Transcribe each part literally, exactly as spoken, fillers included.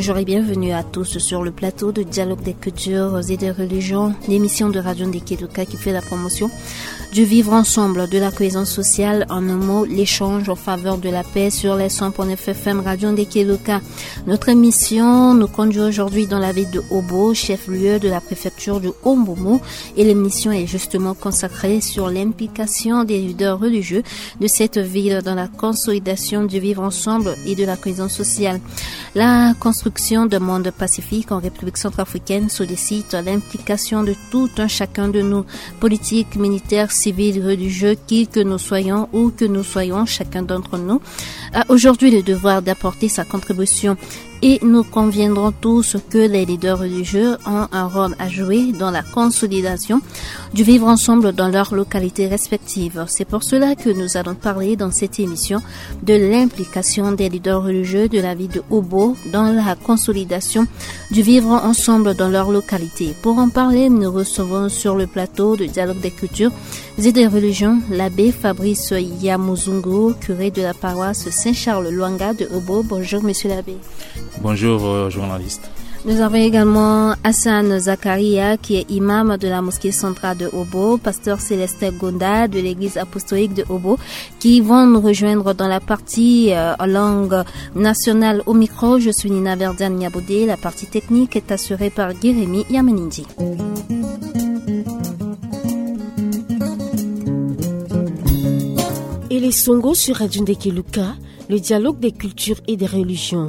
Bonjour et bienvenue à tous sur le plateau de Dialogue des cultures et des religions, l'émission de Radio Ndeke Luka qui fait la promotion du vivre ensemble, de la cohésion sociale, en un mot, l'échange en faveur de la paix sur les cent point neuf F M Radio Ndeke Luka. Notre émission nous conduit aujourd'hui dans la ville de Obo, chef-lieu de la préfecture du Haut-Mbomou, et l'émission est justement consacrée sur l'implication des leaders religieux de cette ville dans la consolidation du vivre ensemble et de la cohésion sociale. La construction d'un monde pacifique en République centrafricaine sollicite l'implication de tout un chacun de nous, politiques, militaires, civils, religieux, qui que nous soyons, où que nous soyons, chacun d'entre nous a aujourd'hui le devoir d'apporter sa contribution. Et nous conviendrons tous que les leaders religieux ont un rôle à jouer dans la consolidation du vivre ensemble dans leurs localités respectives. C'est pour cela que nous allons parler dans cette émission de l'implication des leaders religieux de la vie de Obo dans la consolidation du vivre ensemble dans leur localité. Pour en parler, nous recevons sur le plateau de Dialogue des cultures et des religions l'abbé Fabrice Yamuzungu, curé de la paroisse Saint-Charles Luanga de Obo. Bonjour, monsieur l'abbé. Bonjour, euh, journaliste. Nous avons également Hassan Zakaria, qui est imam de la mosquée centrale de Obo, pasteur Célestin Gonda de l'église apostolique de Obo, qui vont nous rejoindre dans la partie, euh, en langue nationale. Au micro, je suis Nina Verdiane Niaboudé. La partie technique est assurée par Guérémy Yamenindi. Et les Songo sur Radio Ndeke Luka, le dialogue des cultures et des religions.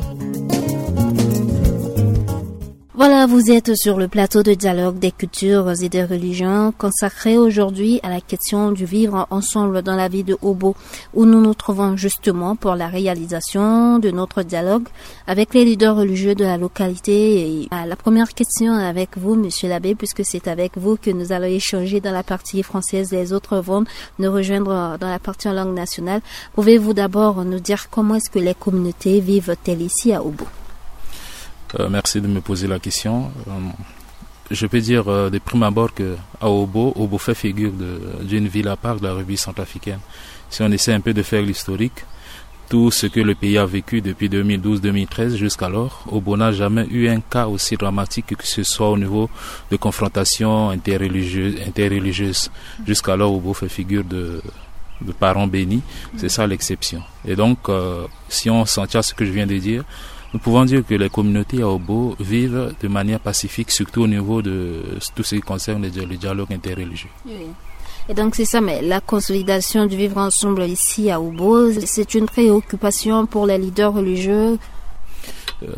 Voilà, vous êtes sur le plateau de Dialogue des cultures et des religions, consacré aujourd'hui à la question du vivre ensemble dans la vie de Obo, où nous nous trouvons justement pour la réalisation de notre dialogue avec les leaders religieux de la localité. Et, euh, la première question avec vous, monsieur l'abbé, puisque c'est avec vous que nous allons échanger dans la partie française, les autres vont nous rejoindre dans la partie en langue nationale. Pouvez-vous d'abord nous dire comment est-ce que les communautés vivent-elles ici à Obo ? Euh, merci de me poser la question. Euh, je peux dire, euh, de prime abord que à Obo, Obo fait figure de, d'une ville à part de la République centrafricaine. Si on essaie un peu de faire l'historique, tout ce que le pays a vécu depuis deux mille douze deux mille treize jusqu'alors, Obo n'a jamais eu un cas aussi dramatique, que ce soit au niveau de confrontation interreligieuse, interreligieuse. Jusqu'alors, Obo fait figure de, de parents bénis. C'est ça l'exception. Et donc, euh, si on s'en tient à ce que je viens de dire, nous pouvons dire que les communautés à Obo vivent de manière pacifique, surtout au niveau de tout ce qui concerne le, le dialogue interreligieux. Oui. Et donc, c'est ça, mais la consolidation du vivre ensemble ici à Obo, c'est une préoccupation pour les leaders religieux.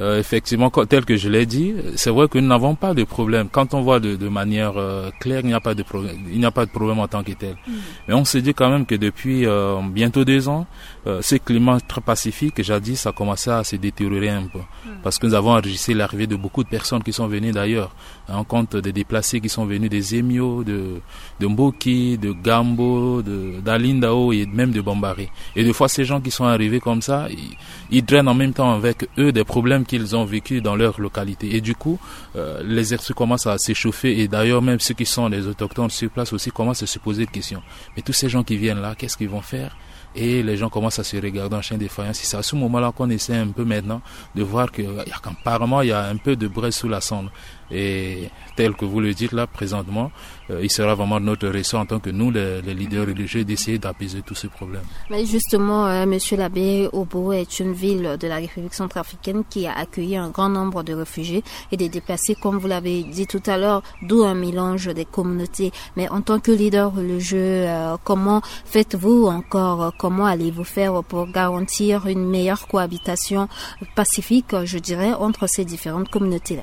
Euh, effectivement, co-, tel que je l'ai dit, c'est vrai que nous n'avons pas de problème. Quand on voit de, de manière, euh, claire, il n'y a pas de problème, il n'y a pas de problème en tant que tel. Mm. Mais on se dit quand même que depuis, euh, bientôt deux ans, euh, ce climat très pacifique, jadis, a commencé à se détériorer un peu. Mm. Parce que nous avons enregistré l'arrivée de beaucoup de personnes qui sont venues d'ailleurs. On compte des déplacés qui sont venus des Emio, de, de Mboki, de Gambo, de, d'Alindao et même de Bambaré. Et des fois, ces gens qui sont arrivés comme ça, ils, ils drainent en même temps avec eux des problèmes qu'ils ont vécu dans leur localité. Et du coup, euh, les esprits commencent à s'échauffer. Et d'ailleurs, même ceux qui sont les autochtones sur place aussi commencent à se poser des questions. Mais tous ces gens qui viennent là, qu'est-ce qu'ils vont faire ? Et les gens commencent à se regarder en chien de faïence. C'est à ce moment-là qu'on essaie un peu maintenant de voir que, euh, y a, qu'apparemment, il y a un peu de braise sous la cendre. Et tel que vous le dites là, présentement, euh, il sera vraiment de notre ressort en tant que nous, les, les leaders religieux, d'essayer d'apaiser tous ces problèmes. Mais justement, euh, monsieur l'abbé, Obo est une ville de la République centrafricaine qui a accueilli un grand nombre de réfugiés et de déplacés, comme vous l'avez dit tout à l'heure, d'où un mélange des communautés. Mais en tant que leader religieux, euh, comment faites-vous encore, euh, comment allez-vous faire pour garantir une meilleure cohabitation pacifique, je dirais, entre ces différentes communautés-là ?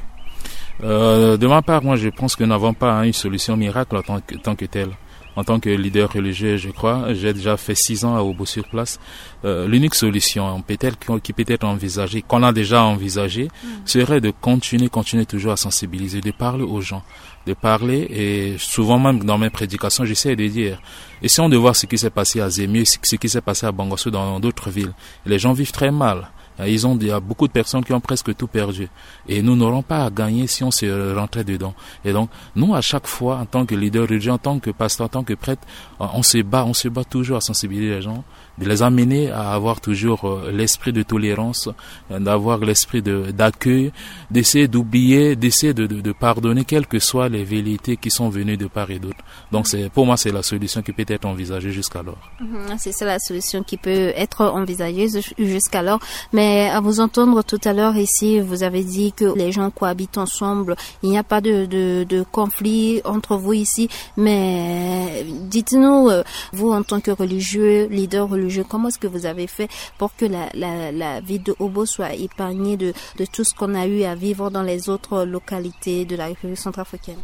Euh, de ma part, moi, je pense que nous n'avons pas, hein, une solution miracle en tant que, tant que telle. En tant que leader religieux, je crois, j'ai déjà fait six ans à Obo sur place. Euh, l'unique solution peut-être qui, qui peut être envisagée, qu'on a déjà envisagée, mm, serait de continuer, continuer toujours à sensibiliser, de parler aux gens, de parler, et souvent même dans mes prédications, j'essaie de dire, essayons de voir ce qui s'est passé à Zemio, ce, ce qui s'est passé à Bangassou, dans d'autres villes. Les gens vivent très mal. Ils ont, il y a beaucoup de personnes qui ont presque tout perdu. Et nous n'aurons pas à gagner si on se rentrait dedans. Et donc, nous, à chaque fois, en tant que leader religieux, en tant que pasteur, en tant que prêtre, on se bat, on se bat toujours à sensibiliser les gens de les amener à avoir toujours euh, l'esprit de tolérance, euh, d'avoir l'esprit de, d'accueil, d'essayer d'oublier, d'essayer de, de, de pardonner quelles que soient les velléités qui sont venues de part et d'autre. Donc c'est, pour moi, c'est la solution qui peut être envisagée jusqu'alors. Mhm, c'est ça la solution qui peut être envisagée jus-, jusqu'alors. Mais à vous entendre tout à l'heure ici, vous avez dit que les gens cohabitent ensemble. Il n'y a pas de, de, de conflit entre vous ici. Mais dites-nous, euh, vous en tant que religieux, leader religieux, comment est-ce que vous avez fait pour que la, la, la ville de Obo soit épargnée de, de tout ce qu'on a eu à vivre dans les autres localités de la République centrafricaine ?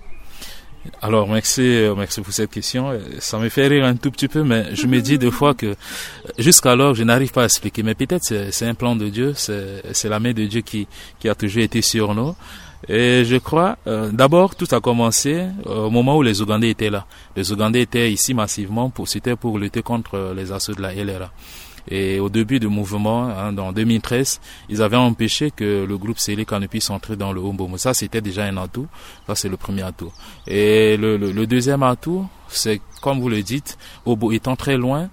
Alors, merci, euh, merci pour cette question. Euh, ça me fait rire un tout petit peu, mais je me dis des fois que, euh, jusqu'alors, je n'arrive pas à expliquer. Mais peut-être c'est, c'est un plan de Dieu, c'est, c'est la main de Dieu qui, qui a toujours été sur nous. Et je crois, euh, d'abord, tout a commencé, euh, au moment où les Ougandais étaient là. Les Ougandais étaient ici massivement, pour, c'était pour lutter contre, euh, les assauts de la L R A. Et au début du mouvement, hein, en deux mille treize, ils avaient empêché que le groupe Seleka ne puisse entrer dans le Hombombo. Ça, c'était déjà un atout. Ça, c'est le premier atout. Et le, le, le deuxième atout, c'est, comme vous le dites, Obo étant très loin,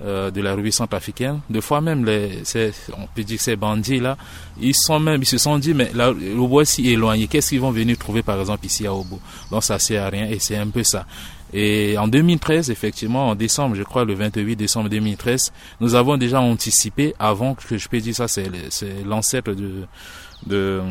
euh, de la République centrafricaine, des fois même, les, ces, on peut dire que ces bandits-là, ils sont même, ils se sont dit, mais là, Obo est si éloigné, qu'est-ce qu'ils vont venir trouver, par exemple, ici à Obo ? Donc, ça sert à rien et c'est un peu ça. Et en deux mille treize, effectivement, en décembre, je crois, le vingt-huit décembre deux mille treize, nous avons déjà anticipé, avant que je puisse dire ça, c'est le, c'est l'ancêtre de, de,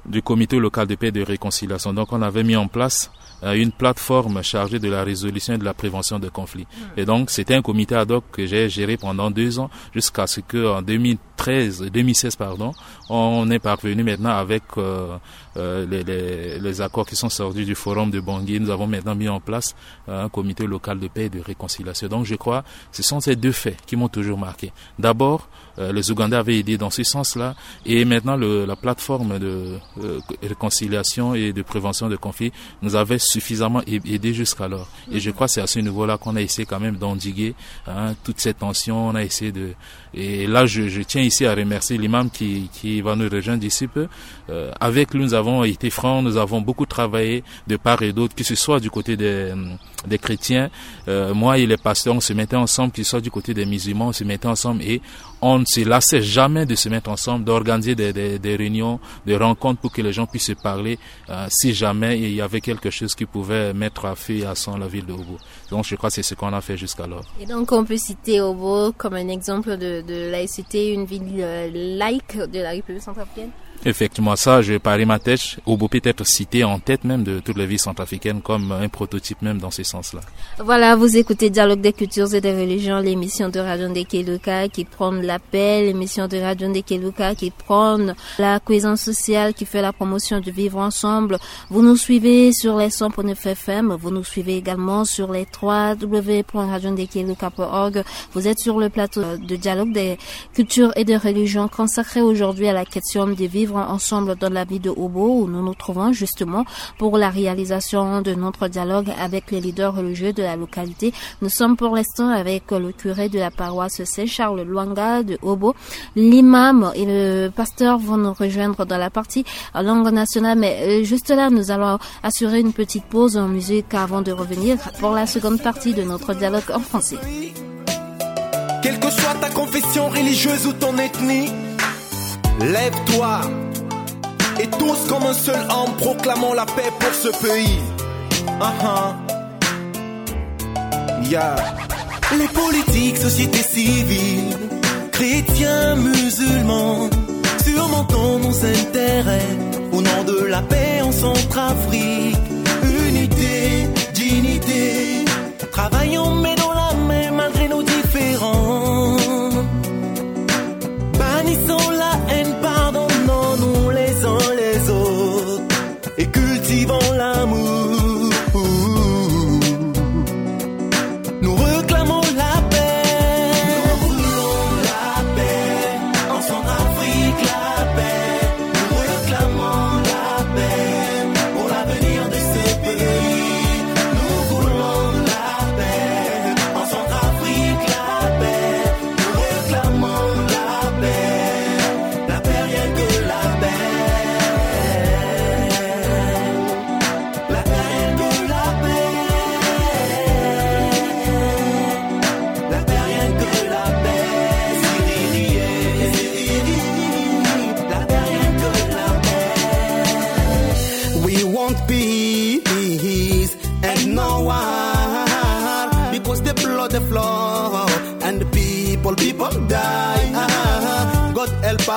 du comité local de paix et de réconciliation. Donc, on avait mis en place, euh, une plateforme chargée de la résolution et de la prévention de conflits. Et donc, c'était un comité ad hoc que j'ai géré pendant deux ans, jusqu'à ce que, en deux mille treize, deux mille seize, pardon, on est parvenu maintenant avec, euh, euh, les, les, les accords qui sont sortis du forum de Bangui. Nous avons maintenant mis en place, euh, un comité local de paix et de réconciliation. Donc, je crois, ce sont ces deux faits qui m'ont toujours marqué. D'abord, euh, les Ougandais avaient aidé dans ce sens-là, et maintenant le, la plateforme de, euh, réconciliation et de prévention de conflits nous avait suffisamment a-, aidé jusqu'alors. Et je crois que c'est à ce niveau-là qu'on a essayé quand même d'endiguer, hein, toutes ces tensions. On a essayé de, et là, je, je tiens ici à remercier l'imam qui, qui va nous rejoindre d'ici peu. Euh, avec lui, nous avons été francs, nous avons beaucoup travaillé de part et d'autre, que ce soit du côté des, euh, des chrétiens. Euh, moi et les pasteurs, on se mettait ensemble, qu'ils soient du côté des musulmans, on se mettait ensemble et on ne se lassait jamais de se mettre ensemble, d'organiser des, des, des réunions, des rencontres pour que les gens puissent se parler, euh, si jamais il y avait quelque chose qui pouvait mettre à feu et à sang la ville de Obo. Donc, je crois que c'est ce qu'on a fait jusqu'alors. Et donc, on peut citer Obo comme un exemple de, de laïcité, une ville, euh, laïque de la République centrafricaine ? Effectivement, ça, je parie ma tête. Obo peut être cité en tête même de toutes les villes centrafricaines comme un prototype même dans ce sens-là. Voilà, vous écoutez Dialogue des cultures et des religions, l'émission de Radio Ndekeluka qui prône la paix, l'émission de Radio Ndekeluka qui prône la cohésion sociale, qui fait la promotion du vivre ensemble. Vous nous suivez sur les cent point neuf F M, vous nous suivez également sur les trois W point radio ndekeluka point org. Vous êtes sur le plateau de Dialogue des cultures et des religions consacré aujourd'hui à la question de vivre ensemble dans la vie de Obo, où nous nous trouvons justement pour la réalisation de notre dialogue avec les leaders religieux de la localité. Nous sommes pour l'instant avec le curé de la paroisse Saint-Charles Luanga de Obo. L'imam et le pasteur vont nous rejoindre dans la partie en langue nationale, mais, euh, juste là, nous allons assurer une petite pause en musique avant de revenir pour la seconde partie de notre dialogue en français. Quelle que soit ta confession religieuse ou ton ethnie, lève-toi et tous comme un seul homme, proclamons la paix pour ce pays. Uh-huh. Yeah. Les politiques, société civile, chrétiens, musulmans, surmontons nos intérêts au nom de la paix en Centrafrique. Unité, dignité, travaillons main dans la main malgré nos différends. Bannissons la haine, pardonnons-nous les uns les autres et cultivons l'amour. Nous réclamons la paix. Nous voulons la paix. En Centrafrique, la paix. Nous réclamons la paix pour l'avenir de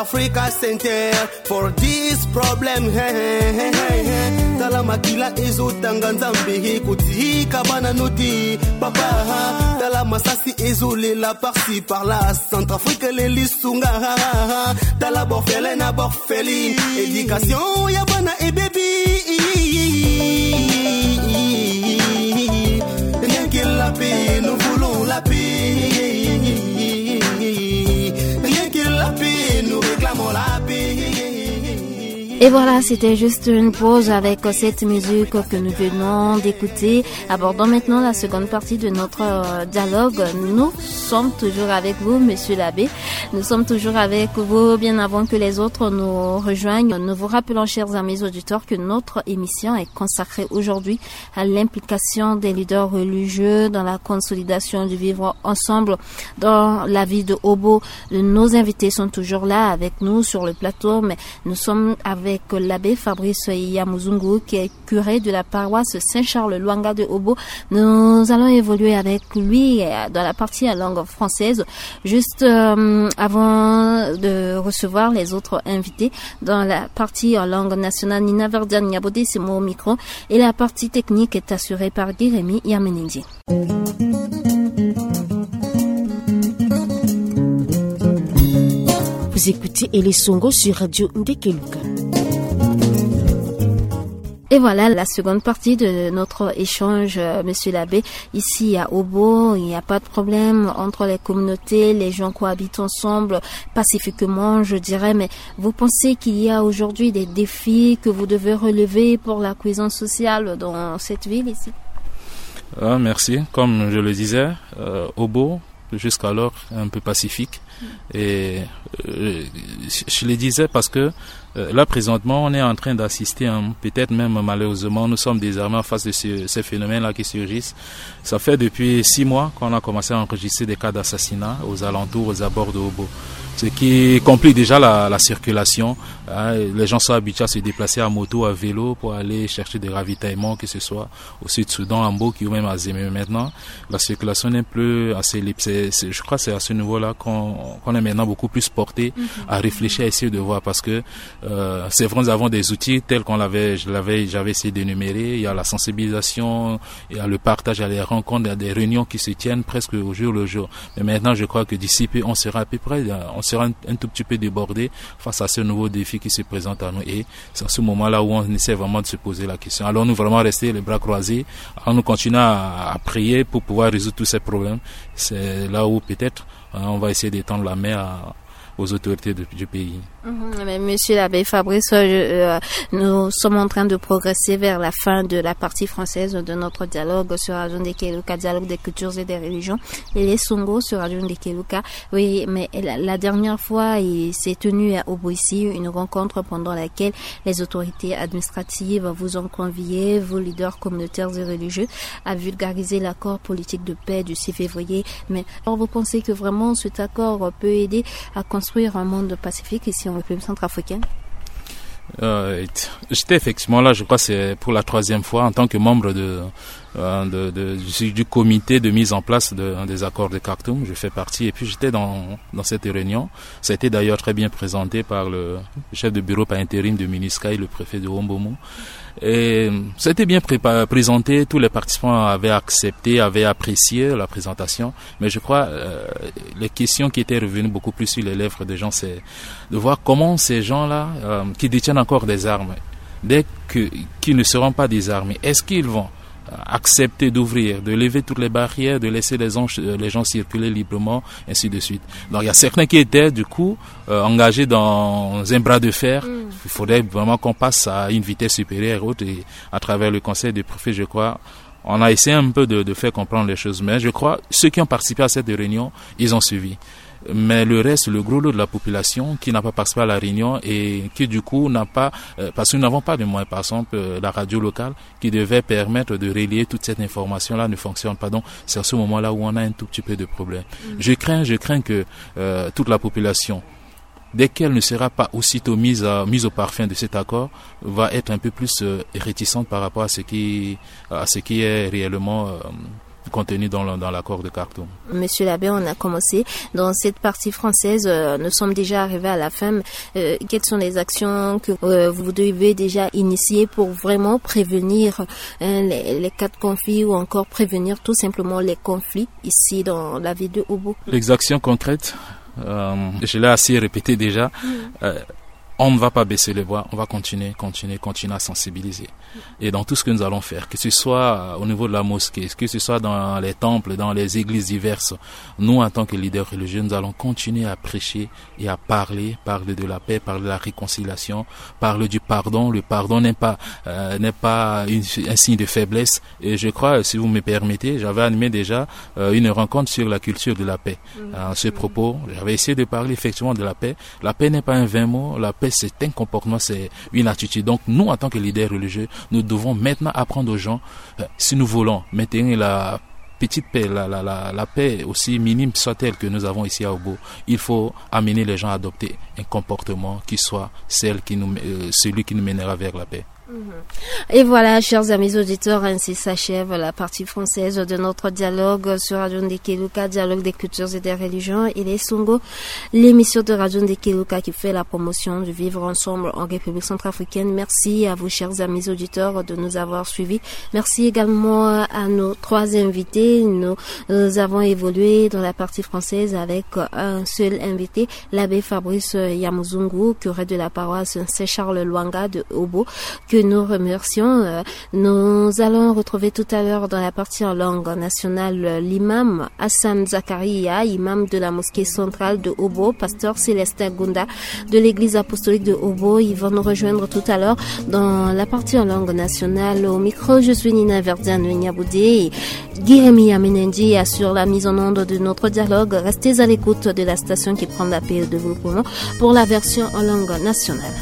Africa Center for this problem. Hey, hey, hey, hey. Tala makila ezo tanga Nzambe, he, kotika bana noti, papa, ha. Tala masasi ezo lela par-ci par-là. Centrafrique leli sunga, ha, ha, ha. Tala borfele na borfeli. Éducation ya bana ebebi. Rien que la paix, nous voulons la paix. Rien que la paix, nous réclamons la paix. Et voilà, c'était juste une pause avec cette musique que nous venons d'écouter. Abordons maintenant la seconde partie de notre euh, dialogue. Nous sommes toujours avec vous, monsieur l'abbé. Nous sommes toujours avec vous bien avant que les autres nous rejoignent. Nous vous rappelons, chers amis auditeurs, que notre émission est consacrée aujourd'hui à l'implication des leaders religieux dans la consolidation du vivre ensemble dans la vie de Obo. Nos invités sont toujours là avec nous sur le plateau, mais nous sommes avec l'abbé Fabrice Yamuzungu, qui est curé de la paroisse Saint-Charles Lwanga de Obo. Nous allons évoluer avec lui euh, dans la partie en langue française. Juste euh, avant de recevoir les autres invités, dans la partie en langue nationale, Nina Verdiane Niabodé, c'est mon micro. Et la partie technique est assurée par Guy Rémy Yamenendi. Vous écoutez Elesongo sur Radio Ndekeluka. Et voilà la seconde partie de notre échange, euh, monsieur l'abbé. Ici, à Obo, il n'y a pas de problème entre les communautés. Les gens cohabitent ensemble pacifiquement, je dirais. Mais vous pensez qu'il y a aujourd'hui des défis que vous devez relever pour la cohésion sociale dans cette ville ici ? Ah, merci. Comme je le disais, euh, Obo, jusqu'alors un peu pacifique. Et euh, je, je le disais parce que euh, là, présentement, on est en train d'assister, hein, peut-être même malheureusement, nous sommes désormais en face de ce- ces phénomènes-là qui surgissent. Ça fait depuis six mois qu'on a commencé à enregistrer des cas d'assassinat aux alentours, aux abords de Obo. Ce qui complique déjà la, la circulation. Hein. Les gens sont habitués à se déplacer à moto, à vélo pour aller chercher des ravitaillements, que ce soit au Sud-Soudan, à Mboki ou même à Zemé. Mais maintenant, la circulation n'est plus assez libre. C'est- c'est- je crois que c'est à ce niveau-là qu'on qu'on est maintenant beaucoup plus porté à réfléchir, à essayer de voir. Parce que euh, c'est vrai, nous avons des outils tels qu'on l'avait, je l'avais, j'avais essayé d'énumérer. Il y a la sensibilisation, il y a le partage, il y a les rencontres, il y a des réunions qui se tiennent presque au jour le jour. Mais maintenant, je crois que d'ici peu, on sera à peu près, euh, on sera un, un tout petit peu débordé face à ce nouveau défi qui se présente à nous. Et c'est à ce moment-là où on essaie vraiment de se poser la question. Allons-nous vraiment rester les bras croisés ? Allons-nous continuer à, à prier pour pouvoir résoudre tous ces problèmes ? C'est là où peut-être hein, on va essayer d'étendre la main à- aux autorités de- du pays. Mhm, mais monsieur l'abbé Fabrice, euh, je- euh, nous sommes en train de progresser vers la fin de la partie française de notre dialogue sur Radio Ndekeluka, dialogue des cultures et des religions, Elesongo sur Radio Ndekeluka. Oui, mais la, la dernière fois, il s'est tenu à Obo ici une rencontre pendant laquelle les autorités administratives vous ont convié, vous leaders communautaires et religieux, à vulgariser l'accord politique de paix du six février. Mais alors, vous pensez que vraiment cet accord peut aider à construire un monde pacifique ici en République centrafricaine ? Euh, j'étais effectivement là, je crois que c'est pour la troisième fois en tant que membre de, euh, de- de- du, du comité de mise en place de- des accords de Khartoum. Je fais partie et puis j'étais dans, dans cette réunion. Ça a été d'ailleurs très bien présenté par le chef de bureau par intérim de MINUSCA et le préfet de Wombomo. Et ça a été bien prépa- présenté, tous les participants avaient accepté, avaient apprécié la présentation. Mais je crois euh, les questions qui étaient revenues beaucoup plus sur les lèvres des gens, c'est de voir comment ces gens-là euh, qui détiennent encore des armes, dès que qui ne seront pas désarmés, est-ce qu'ils vont euh, accepter d'ouvrir, de lever toutes les barrières, de laisser les gens, euh, les gens circuler librement, ainsi de suite. Donc il y a certains qui étaient du coup euh, engagés dans un bras de fer. Il faudrait vraiment qu'on passe à une vitesse supérieure et autres et à travers le conseil des préfets, je crois, on a essayé un peu de, de faire comprendre les choses. Mais je crois ceux qui ont participé à cette réunion, ils ont suivi. Mais le reste, le gros lot de la population qui n'a pas participé à la réunion et qui du coup n'a pas, euh, parce que nous n'avons pas de moyens, par exemple, euh, la radio locale qui devait permettre de relier toute cette information-là ne fonctionne pas. Donc c'est à ce moment-là où on a un tout petit peu de problème. Je crains, je crains que euh, toute la population, dès qu'elle ne sera pas aussitôt mise, à- mise au parfum de cet accord, va être un peu plus euh, réticente par rapport à ce qui, à ce qui est réellement euh, contenues dans, le- dans l'accord de Khartoum. Monsieur l'abbé, on a commencé dans cette partie française. Euh, nous sommes déjà arrivés à la fin. Euh, quelles sont les actions que euh, vous devez déjà initier pour vraiment prévenir euh, les, les cas de conflit ou encore prévenir tout simplement les conflits ici dans la ville de Obo ? Les actions concrètes, euh, je l'ai assez répété déjà. Euh, on ne va pas baisser les bras, on va continuer, continuer, continuer à sensibiliser. Et dans tout ce que nous allons faire, que ce soit euh, au niveau de la mosquée, que ce soit dans les temples, dans les églises diverses, nous, en tant que leaders religieux, nous allons continuer à prêcher et à parler, parler de la paix, parler de la réconciliation, parler du pardon. Le pardon n'est pas, euh, n'est pas une- un signe de faiblesse. Et je crois, si vous me permettez, j'avais animé déjà euh, une rencontre sur la culture de la paix. À ce propos, j'avais essayé de parler effectivement de la paix. La paix n'est pas un vain mot. La paix, c'est un comportement, c'est une attitude. Donc, nous, en tant que leaders religieux, nous devons maintenant apprendre aux gens, euh, si nous voulons maintenir la petite paix, la, la, la, la paix aussi minime soit-elle que nous avons ici à Obo, il faut amener les gens à adopter un comportement qui soit celle qui nous, euh, celui qui nous mènera vers la paix. Et voilà, chers amis auditeurs, ainsi s'achève la partie française de notre dialogue sur Radio Ndekeluka, dialogue des cultures et des religions. Il est Songo, l'émission de Radio Ndekeluka qui fait la promotion du vivre ensemble en République centrafricaine. Merci à vous, chers amis auditeurs, de nous avoir suivis. Merci également à nos trois invités. Nous, nous avons évolué dans la partie française avec un seul invité, l'abbé Fabrice Yamuzungu, curé de la paroisse Saint-Charles Lwanga de Obo, que nous remercions. Euh, nous allons retrouver tout à l'heure dans la partie en langue nationale, euh, l'imam Hassan Zakaria, imam de la mosquée centrale de Obo, pasteur Célestin Gunda de l'église apostolique de Obo. Il va nous rejoindre tout à l'heure dans la partie en langue nationale. Au micro, je suis Nina Verdiane Niaboudé. Guy Rémy Amenendi assure la mise en onde de notre dialogue. Restez à l'écoute de la station qui prend la paix au développement pour la version en langue nationale.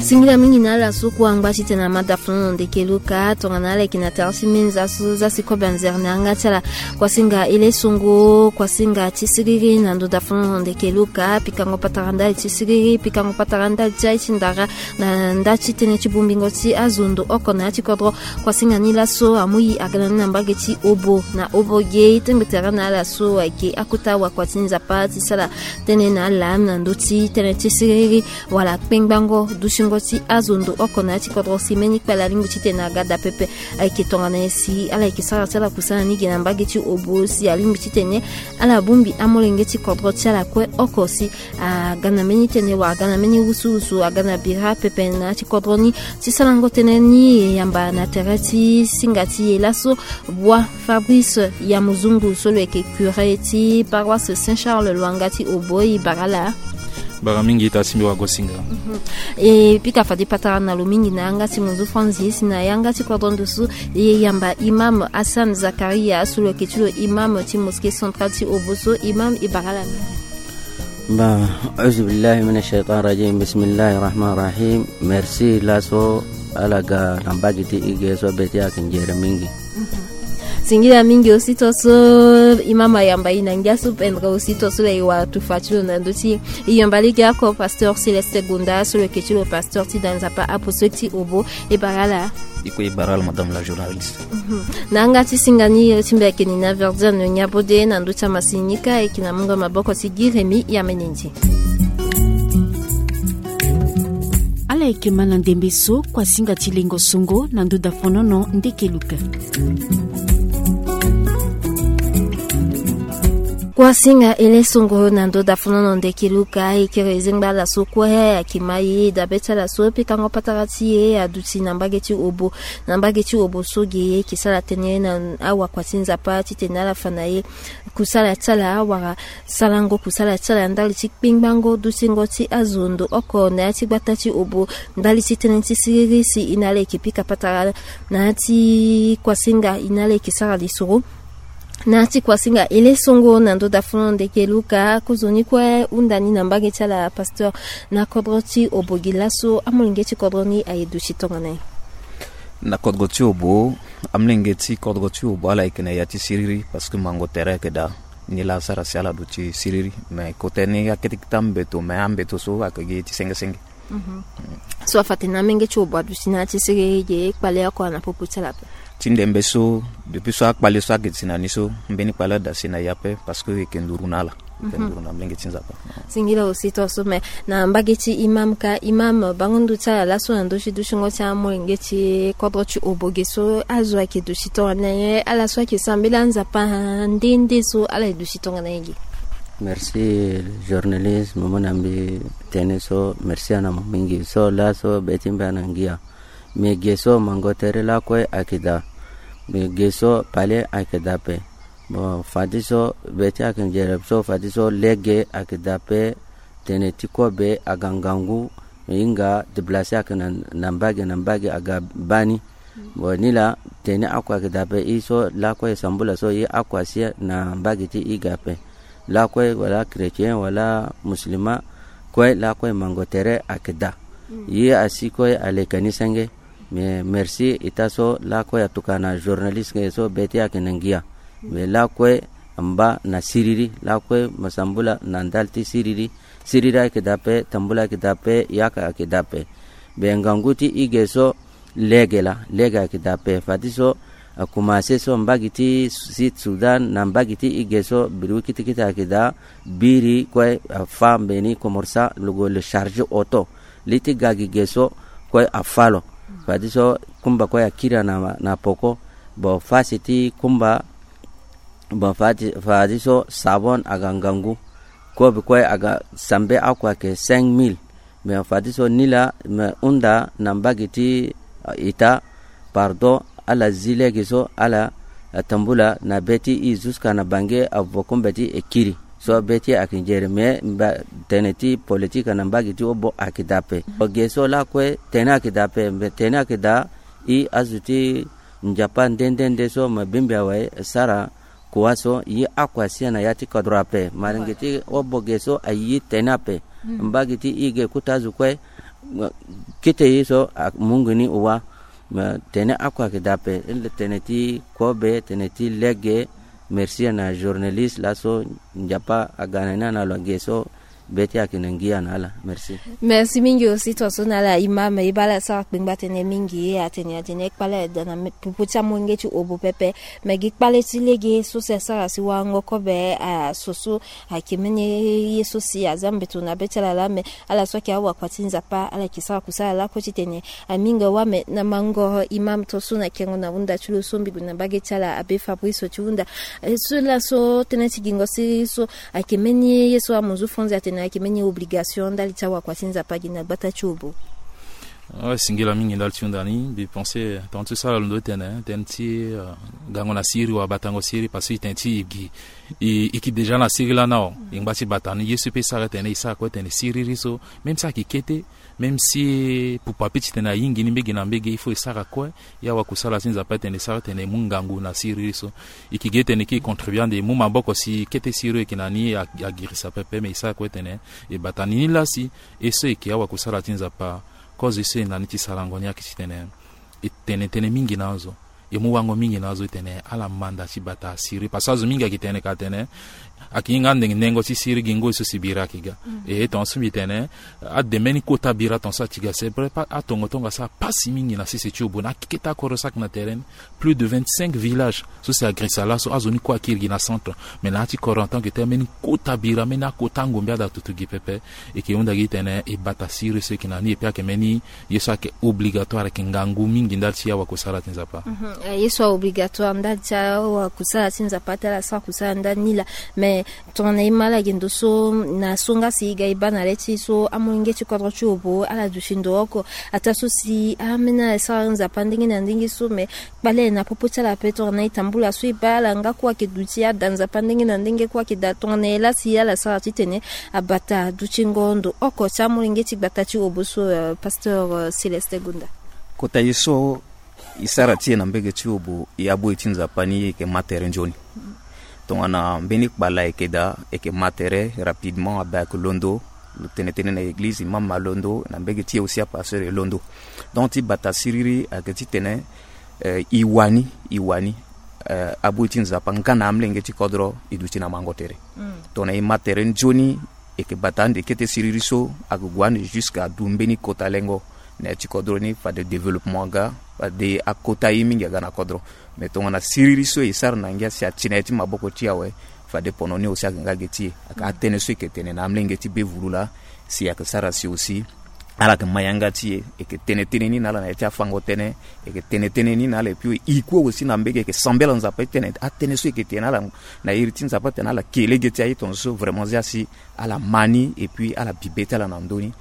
Singila mingi na ala so kue angba titene amada funu na ndeke luka tongana ala yeke na tara ti menza so za si kobe anzere na yanga ti ala. Kuasinga ele songo, kuasinga ti siriri na ndo da funu na ndeke luka, pikango patara ndali ti siriri, pikango patara ndali ti aye ti ndara na nda ti tënë ti bongbingo ti azo ndo oko na ya ti kodro. Kuasinga ni laso amu i aga na ni na mbage ti Obo na Obo ge, tengbe tere na ala so ayeke akota wakua ti Nzapa ti sara tënë na ala na ndö ti tënë ti siriri wala kpengbango dutingo ti azo ndo oko na ya ti kodro si mbeni kpale alingbi titene aga daa pepe. Ayeke tongana nyen si ala yeke sara ti ala kusana ni ge na mbage ti Obo si alingbi titene ala bongbi amolenge ti kodro ti ala kue oko si aga na mbeni tënë wala aga na mbeni wusuwusu, aga na bira pepe na ya ti kodro ni ti sarango tënë ni. E yamba na tere ti singa ti e laso, Bua Fabrice Yamuzungu so lo yeke curé ti paroisse Saint Charles Lwanga ti Obo, e bara ala. Bara mingi ita simbi wago singa. Mhm. E pika fade patara na lo mingi na yanga ti monzu franzi si na yanga ti kodro ndusu e yamba imam Hassan Zakaria so lo yeke ti lo imam ti mosquée centrale ti Obo so. Imam, e bara ala mingi. Ba, auzubillahi mina shaitan rajim, bismillahi rahman rahim. Merci laso ala ga na mbage ti e ge so be ti ayeke nzere mingi. Singila mingi aussi to so imam ayamba e na ngia so pendre aussi to so lo e wara tufa ti lo na ndö ti e. E yamba lege oko pasteur Céleste Gonda so lo yeke ti lo pasteur ti da Nzapa apostolique ti Obo. E bara ala. E kue e bara ala madame la journaliste. Mhm. Na yanga ti singa ni, e ti mbi ayeke Nina Verdiane Niabode na ndö ti amasini ni kâ, e yeke na mungo maboko ti Guy Rémy Yamenendi. Ala yeke ma na ndembe so kuasinga ti lengo songo na ndö da fonono ndeke luka. Kuasinga ele songo na ndö da fonono ndeke luka, e kiri e zengba ala so kue ayeke ma e dabe ti ala so pikango patara ti e aduti na mbage ti Obo. Na mbage ti Obo so ge e yeke sara tënë na awakua ti Nzapa titene ala fa na e kusala ti ala wala sarango kusala ti ala ndali ti kpengbango dutingo ti azo ndo oko na ya ti gbata ti Obo ndali ti tënë ti siriri si e na ala yeke pika patara na ya ti kuasinga e na ala yeke sara lisoro. Na ti kuasinga e le songo na ndo da fono ndeke Luka, kozoni kue hunda ni na mbage ti ala pasteur. Na kodro ti Obogi laso, amolenge ti kodro ni aye duti tongana ye? Na kodro ti Obo, amolenge ti kodro ti Obo ala yeke na ya ti siriri, parce que mango tere ayeke daa. Ni laa asara si ala duti siriri, mais kota ni akete kete ambeto, mais ambeto so ayeke gi ti senge senge. So afa tene amenge ti Obo aduti na ya ti siriri ge, kpale oko ana popo ti ala ape. Ti ndembe so, depuis so akpale so ayeke ti na ni so, mbeni kpale ada si na ye ape, parce que e yeke nduru na ala. E yeke nduru na mlenge ti Nzapa. Singila aussi tongaso, mais na mbage ti imam ka, imam bango ndu ti ala laso na ndö ti dutingo ti amolenge ti kodro ti Obo ge so, azo ayeke duti tongana ye, ala so ayeke sambela Nzapa nde nde so, ala ye duti tongana ye ge? Merci journaliste, mo mu na mbi tënë so, merci ana mo mingi. So laso be ti mbi ana ngia. Me ge so mango tere lakue ayeke daa. Me ge so pale ayeke daa ape. Bon, fadeso be ti ayeke nzere so, fadeso lege ayeke daa ape. Tene ti kobe aga ngangu, me hinga déplacer ayeke na, na mbage na mbage aga baa ni. Bon, nilaa tene akua ayeke daa ape. E so lakue e sambula so, e akua si na mbage ti e ge ape. Lakue wala chrétien wala musulman, kue lakue mango tere ayeke daa. Ye asi kue aleka ni senge. Me merci ita so lakue atokua na journaliste ge so be ti ayeke na ngia. Me lakue amba na siriri, lakue mo sambula na ndali ti siriri. Siriri ayeke daa ape, tambula ayeke daa ape, yaka ayeke daa ape. Be ngangu ti e ge so, lege laa, lege ayeke daa ape. Fadeso akumase so mbage ti Sud Soudan na mbage ti e ge so, biri wi kete kete ayeke daa. Biri kue afa mbeni komorsa, lo gue le charge auto. Li ti ga gi ge so kue afa lo. Fadeso kumba kue akiri na, na poko. Bon, fasi ti kumba, bon, fade, fadeso sabon aga ngangu. Kobe kue aga sambe akua ayeke cinq mille. Me fadeso nilaa me hunda na mbage ti, ah, ita, pardon, ala zi lege so, ala, ah, tambula na be ti e jusqu'à na Bange, avo kumba ti e kiri. So be ti e ayeke nzere, me mba tene ti politique na mbage ti Obo ayeke daa ape. Ge so lakue tene ayeke daa ape, me tene ayeke daa, e azo ti Nzapa nde nde nde so me bimbi awe sara kua so, ye akua si na ya ti kodro ape. Malenge ti Obo ge so aye tene ape. Mbage ti e ge kota azo kue, kete ye so amungo ni wa. Me tene akua ayeke daa ape. Tene ti kobe, tene ti lege. Merci na journaliste laso, Nzapa aga na ni na lo ge so. Be ti ayeke na ngia na ala. Merci. Merci mingi aussi tongaso na ala imam, e baa ala sara kpengba tënë mingi, atene atene kpale ada na me, popo ti amolenge ti Obo pepe. Me gi kpale ti lege so si asara si warango kobe, ah, so so ayeke mbeni ye so si aza mbeto na be ti ala laa, me ala so ayeke awakua ti Nzapa, ala yeke sara kusala lakue titene aminga wa. Me na mango imam tongaso na kengo na hunda ti lo so mbi gue na mbage ti ala abe Fabrice ti hunda. Eh, so laso tënë ti gingo siriri so ayeke mbeni ye so amuzu Franz atene ayeke mbeni obligation ndali ti awakua ti Nzapa gi na gbata ti Obo. Ah, singila mingi ndali ti hunda ni. Mbi pense tongana ti so ala londo ti tene, tënë ti, euh, gango na siriri wala batango siriri, parce que e tene ti e gi, e, e yeke déjà na siriri lani awe. E ngba ti bata ni, ye so e peut sara tene e sara kue tene siriri so, même si ayeke kete, même si pupu ape ti tene ayingi ni mbege na mbege, il faut e sara kue. Ya wakusala ti Nzapa tene e sara tene e mu ngangu na siriri so. E yeke gi tene e contribue ande e mu maboko si kete siriri e yeke na ni a, agirisa pepe, me e sara kue tene e bata ni. Ni laa si e so e yeke awakusala ti Nzapa, kozo e so e na ni ti sarango ni ayeke ti tene e tene tënë mingi na azo. E mu wango mingi na azo e tene ala manda ti bata siriri, parce que azo mingi ayeke tene ka tene ayeke hinga ande nengo ti siriri gi ngoi so si bira ayeke ga. E tongaso mbi tene ade mbeni kota bira tongaso ayeke ga, c'est vrai, atongatonga asara pasi mingi na sese ti Obo na akete akoro so ayeke na tere ni. Plus de vingt-cinq villages so si agirisa laso, azo ni kue akiri gi na centre. Mais na ya ti kodro en tant que tel, mbeni kota bira, mbeni akota ngombe ada tutu gi pepe. E yeke hunda gi tene e bata siriri so e yeke na ni, et puis ayeke mbeni ye so ayeke obligatoire, ayeke ngangu mingi ndali ti awakusala ti Nzapa. Mhm. Eh, ye so aobligatoire ndali ti awakusala ti Nzapa ti ala sara kusala ndali ni laa. Mais tongana e ma ala ge ndo so, na so nga si e ga e baa na le ti e so, amolenge ti kodro ti Obo ala duti ndo oko. Ataa so si ambeni ala sara Nzapa ndenge na ndenge so, mais kpale na popo ti ala ape. Tongana e tambula so e baa ala nga kue ayeke duti ada Nzapa ndenge na ndenge, kue ayeke daa, tongana e laa si ala sara titene abata dutingo ndo oko ti amolenge ti gbata ti Obo so, euh, pasteur, euh, Célestin Gonda. Kota ye so e sara ti e na mbege ti Obo, e aboi ti Nzapa ni, e yeke ma tere nzoni. Tongana mbeni kpala eke daa, eke ma tere rapidement, abe ayeke londo. Lo tene tënë na eglize, imam alondo, na mbege ti e aussi apasteur e londo. Donc ti bata siriri ayeke titene, eh, e wani, e wani, eh, abui ti Nzapa nga na amolenge ti kodro e duti na mango tere. Tongana e ma tere nzoni, eke bata ande kete siriri so ayeke gue ande jusqu'à du mbeni kota lengo na ya ti kodro ni, fade développement aga, fade akota ye mingi aga na kodro. Mais tongana siriri so e sara na ngia si ati na ya ti maboko ti e awe, fade pono ni aussi ayeke nga ge ti e. Ayeke atënë so eke tene na amolenge ti be vulu laa, si ayeke sara si aussi ala yeke ma yanga ti e, eke tene tënë ni na ala na ya ti afango tënë, eke tene tënë ni na ala, et puis e kue aussi na mbege eke sambela Nzapa ti tene atënë so eke tene na ala na iri ti Nzapa ti tene ala ke lege ti aye tongaso so vraiment zia si ala ma ni, et puis ala bi be ti ala na ndö ni.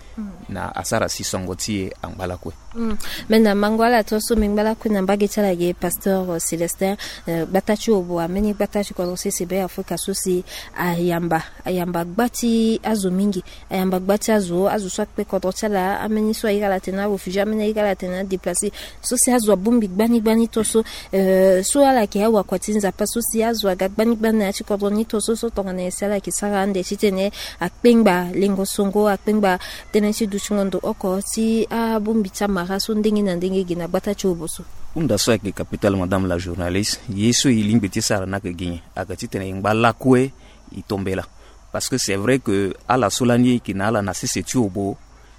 Na asara si songo ti e angba lakue. Mm. Me na mango ala tongaso, me ngba lakue na mbage ti ala ge, pasteur, euh, Célestin, euh, gbata ti obo, ambeni gbata ti kodro sese be Afrika so si ayamba, ayamba gba ti azo mingi, ayamba gba ti azo, azo so akpe kodro ti ala, ambeni so airi ala tene aréfugié, ambeni airi ala tene adéplacé, so si azo abongbi gbani gbani tongaso, euh, so ala yeke awakua ti Nzapa so si azo aga gbani gbani na ya ti kodro ni tongaso, so tongana nyen si ala yeke sara ande titene akpengba lengo songo, akpengba tënë ti dutingo ndo oko ti abongbi ti amara so ndenge na ndenge ge na gbata ti obo so. Hunda so ayeke capital, madame la journaliste, ye so e lingbi ti sara ni ayeke gi nyen? Ayeke titene e ngba lakue e tombela. Parce que c'est vrai que ala so lani e yeke na ala na sese ti obo,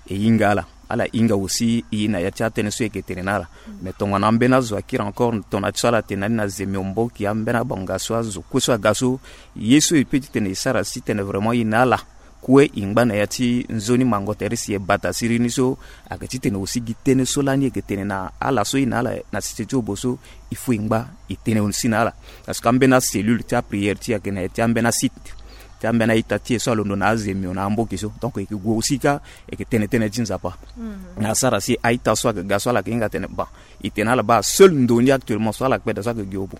e hinga ala, ala hinga aussi e na ya ti atënë so e yeke tene na ala. Mais tongana ambeni azo akiri encore tongana ti so ala tene na ni na Zemio, Mboki, ambeni abonga so, azo kue so aga so, ye so e peut titene e sara si tene vraiment e na ala kue e ngba na ya ti nzoni mango tere si e bata siriri ni so, ayeke titene aussi gi tënë so lani e yeke tene na ala so e na ala na sese ti obo so, il faut e ngba e tene aussi na ala. Parce que ambeni acellule ti aprière ti e ayeke na ya ti ambeni asite ti ambeni a-ita ti e so alondo na Zemio na Mboki so. Donc e yeke gue aussi kâ, e yeke tene tënë ti Nzapa. Na asara si a-ita so ayeke ga so ala yeke hinga tene, bon, e tene na ala baa seul ndo ni actuellement so ala kpe daa so ayeke gi obo.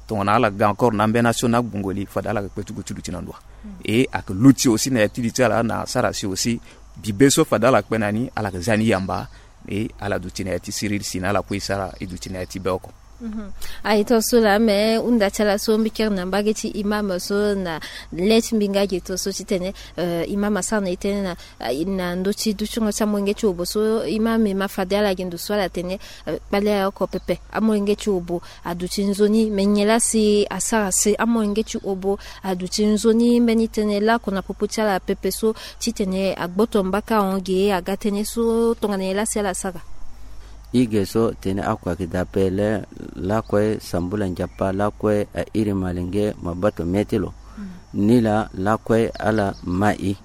Tongana ala ga encore na ambeni nation na agbongo li, fade ala yeke kpe ti gue ti duti na ndo wa. Et ayeke luti aussi na ya ti li ti ala na asara si aussi bibe so fade ala kpe na ni, ala yeke zia ni yamba. Et ala duti na ya ti siriri si na ala kue e sara e duti na ya ti be oko. Mhm. Aye tongaso laa, me hunda ti ala so mbi kiri na mbage ti imam so na le ti mbi nga ge tongaso titene, euh, imam asara na e tënë na, euh, na ndö ti dutingo ti amolenge ti obo so, imam e ma fade ala ge ndo so ala tene, euh, kpale aye oko pepe, amolenge ti obo aduti nzoni, me nyen laa si asara si amolenge ti obo aduti nzoni mbeni tënë laoko na popo ti ala pepe so, titene agboto mbaka ahon ge aga tënë so tongana nyen laa si ala sara? Ige so tene oko ayeke daa ape le, lakue sambula Nzapa, lakue airi malenge, maboto mê ti lo. Mm. Nilaa lakue ala ma e.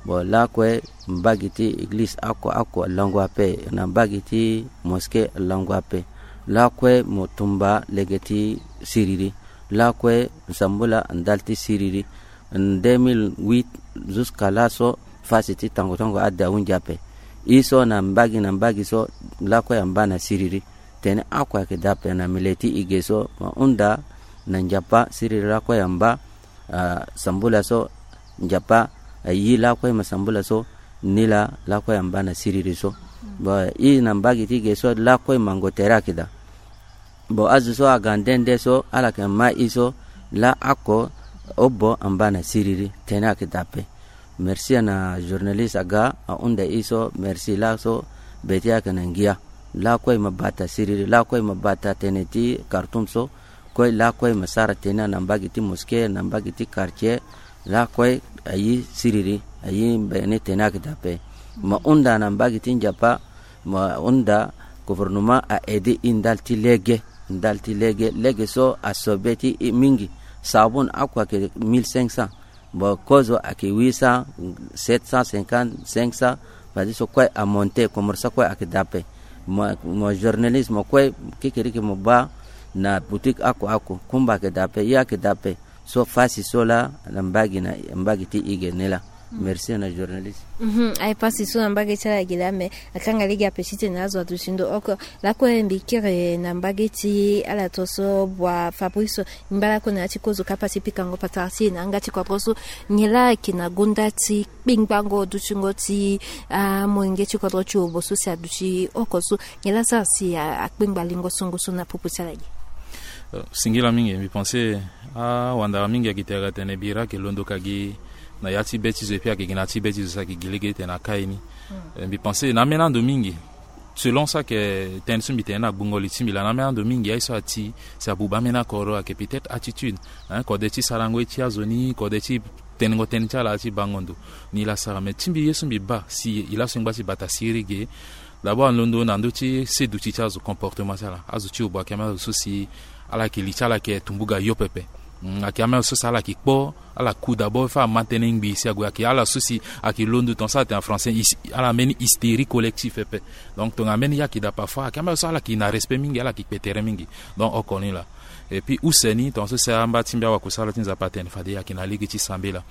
Bon, lakue mbage ti eglize oko oko alango ape, na mbage ti mosquée alango ape. Lakue mo tumba lege ti siriri. Lakue nsambula ndali ti siriri. Deux mille huit jusqu'à laso, fasi ti tongo tongo ade ahunzi ape. E so na mbage na mbage so, lakue amba na siriri. Tene oko ayeke daa ape na mele ti e ge so, ma hunda na Nzapa, siriri lakue amba, ah, sambula so, Nzapa ayi lakue ma sambula so, nilaa lakue amba na siriri so. Bon, e na mbage ti e ge so, lakue mango tere ayeke daa. Bon, azo so aga nde nde so, ala yeke ma e so, laoko obo amba na siriri, tene ayeke daa ape. Merci na journaliste aga ahunda e so, merci laso be ti e ayeke na ngia. Lakue e ma bata siriri, lakue e ma bata tene ti Khartoum so, kue lakue e ma sara tene na mbage ti mosquée, na mbage ti quartier, lakue ayi siriri, ayi mbeni tene ayeke daa ape. Ma hunda na mbage ti Nzapa, ma hunda gouvernement a aidé e ndali ti lege, ndali ti lege, lege so asobe ti e mingi. Sabun oko ayeke mille cinq cents. Bon, kozo ayeke huit cents, sept cent cinquante, cinq cents, fadeso kue amonté, komoro so kue ayeke daa ape. Mo, mo journaliste, mo kue kekereke mo baa na boutique oko oko, kumba ayeke daa ape, ye ayeke daa ape. So fasi so laa na mbage, na mbage ti e ge ni laa. Mm. Merci na journaliste. Mhm, aye pasi so na mbage ti ala ge laa, me akanga lege ape titene azo aduti ndo oko. Lakue mbi kiri na mbage ti ala tongaso, bua Fabrice, ngba lakue na ya ti kozo kapa ti pikango patara ti e na yanga ti kodro so, nyen laa ayeke na gonda ti kpengbango dutingo ti amolenge ti kodro ti obo so si aduti oko so, nyen laa asara si a, akpengba lingo songo so na popo ti ala ge? Singila mingi, mbi pense awandara mingi ayeke tere atene bira ayeke londo ka gi na ya ti be ti zo, epui ayeke gi na ya ti be ti zo si ayeke gi lege titene akai ni. Mbi pense na ambeni ando mingi, selon so ayeke tënë so mbi tene na gbungo li ti mbi laa, na ambeni ando mingi aye so ati si abuba ambeni akoro ayeke peut-être attitude, hein, kode ti sarango ye ti azo ni, kode ti tenengo tënë ti ala ti bango ndo. Ni laa asara, me ti mbi ye so mbi baa si e laso e ngba ti bata siriri ge. D'abord alondo na ndö ti seduti ti azo, comportement ti ala. Azo ti obo ayeke ambeni azo so si ala yeke li ti ala yeke tumbuga yo pepe. Mm, ayeke ambeni azo so si ala yeke kpo, ala ku d'abord fo ama tënë ngbii si ague, ayeke ala so si ayeke londo tongaso ala tene na français, hys-, ala mbeni hystérie collective pepe. Donc tongana mbeni ye ayeke daa parfois ayeke ambeni azo so ala yeke na respect mingi, ala yeke kpe tere mingi. Donc oko ni laa. Et puis use ni tongaso si amba ti mbi awakusala ti Nzapa atene fade ayeke na lege ti sambela.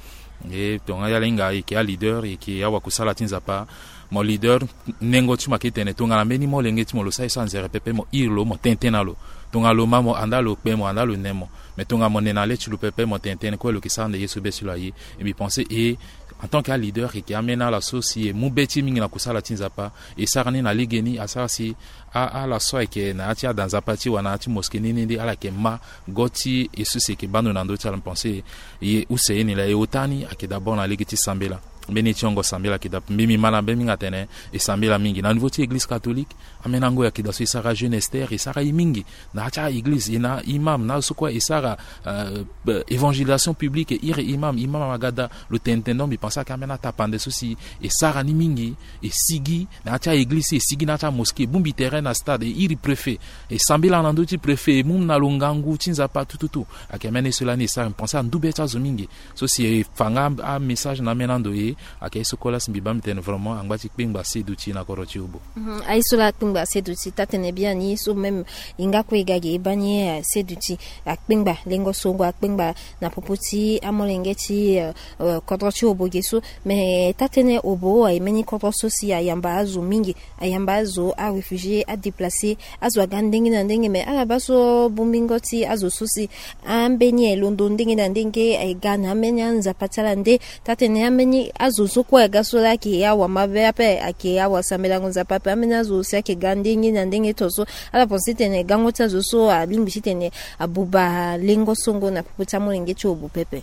E tongana ya ala hinga e yeke aleader, e yeke awakusala ti Nzapa, mo leader, nengo ti mo ayeke tene tongana mbeni molenge ti mo lo sara ye so anzere pepe, mo iri lo, mo tene tënë na lo. Tongana lo ma, mo andaa lo kpe, mo andaa lo ne mo. Mais tongana mo ne na le ti lo pepe, mo tene tënë kue lo yeke sara nde ye so be ti lo aye. E mbi pense e, en tant que aleader, e yeke ambeni ala so si e mu be ti e mingi na kusala ti Nzapa. E sara ni na legeni, asara si a, ala so ayeke na ya ti ada Nzapa ti e wala na ya ti mosquée ni ni nde ala yeke ma go ti e so si e yeke baa ndo na ndö ti ala. Mbi pense e, e use ye ni laa, e ota ni ayeke d'abord na lege ti sambela. Mbeni ye ti hongo sambela ayeke daa, mbi mbi ma na be mingi atene e sambela mingi na niveau ti église catholique. Ambeni ango ayeke daa so e sara Jeune Esther, e sara ye mingi na ya ti a-église, e na imam na azo so kue e sara, euh, évangélisation publique, e iri imam, imam aga daa lo tene tene. Donc mbi pense ayeke ambeni atapande so si e sara ni mingi, e sigi na ya ti a-église, e sigi na ya ti amosquée, e bongbi tere na stade, e iri préfet, e sambela na ndö ti préfet, e mu na lo ngangu ti Nzapa tututu. Ayeke ambeni ye so lani e sara, mbi pense andu be ti azo mingi. So si e fa nga amessage na ambeni ando e, ayeke ye so kue laa si mbi baa mbi tene vraiment angba ti kpengba seduti na kodro ti obo. Mhm, aye so laa akpengba seduti, taa-tënë biani so même e nga kue e ga ge e baa ni, eh, seduti, akpengba lengo songo, akpengba na popo ti amolenge ti, eh, eh, kodro ti obo ge so. Me taa-tënë obo aye mbeni kodro so si ayamba azo mingi, ayamba azo aréfugié, adéplacé, azo aga ndenge na ndenge. Me ala baa so bongbingo ti azo so si ambeni aye londo ndenge na ndenge, aye ga na ambeni anzapa ti ala nde. Taa-tënë ambeni azo so kue aga so laa ayeke awa mabe ape, ayeke awa sambelango Nzapa ape, ambeni azo si ayeke ga ndenge na ndenge tongaso. Ala pense titene gango ti azo so alingbi titene abuba lengo songo na popo ti amolenge ti obo pepe.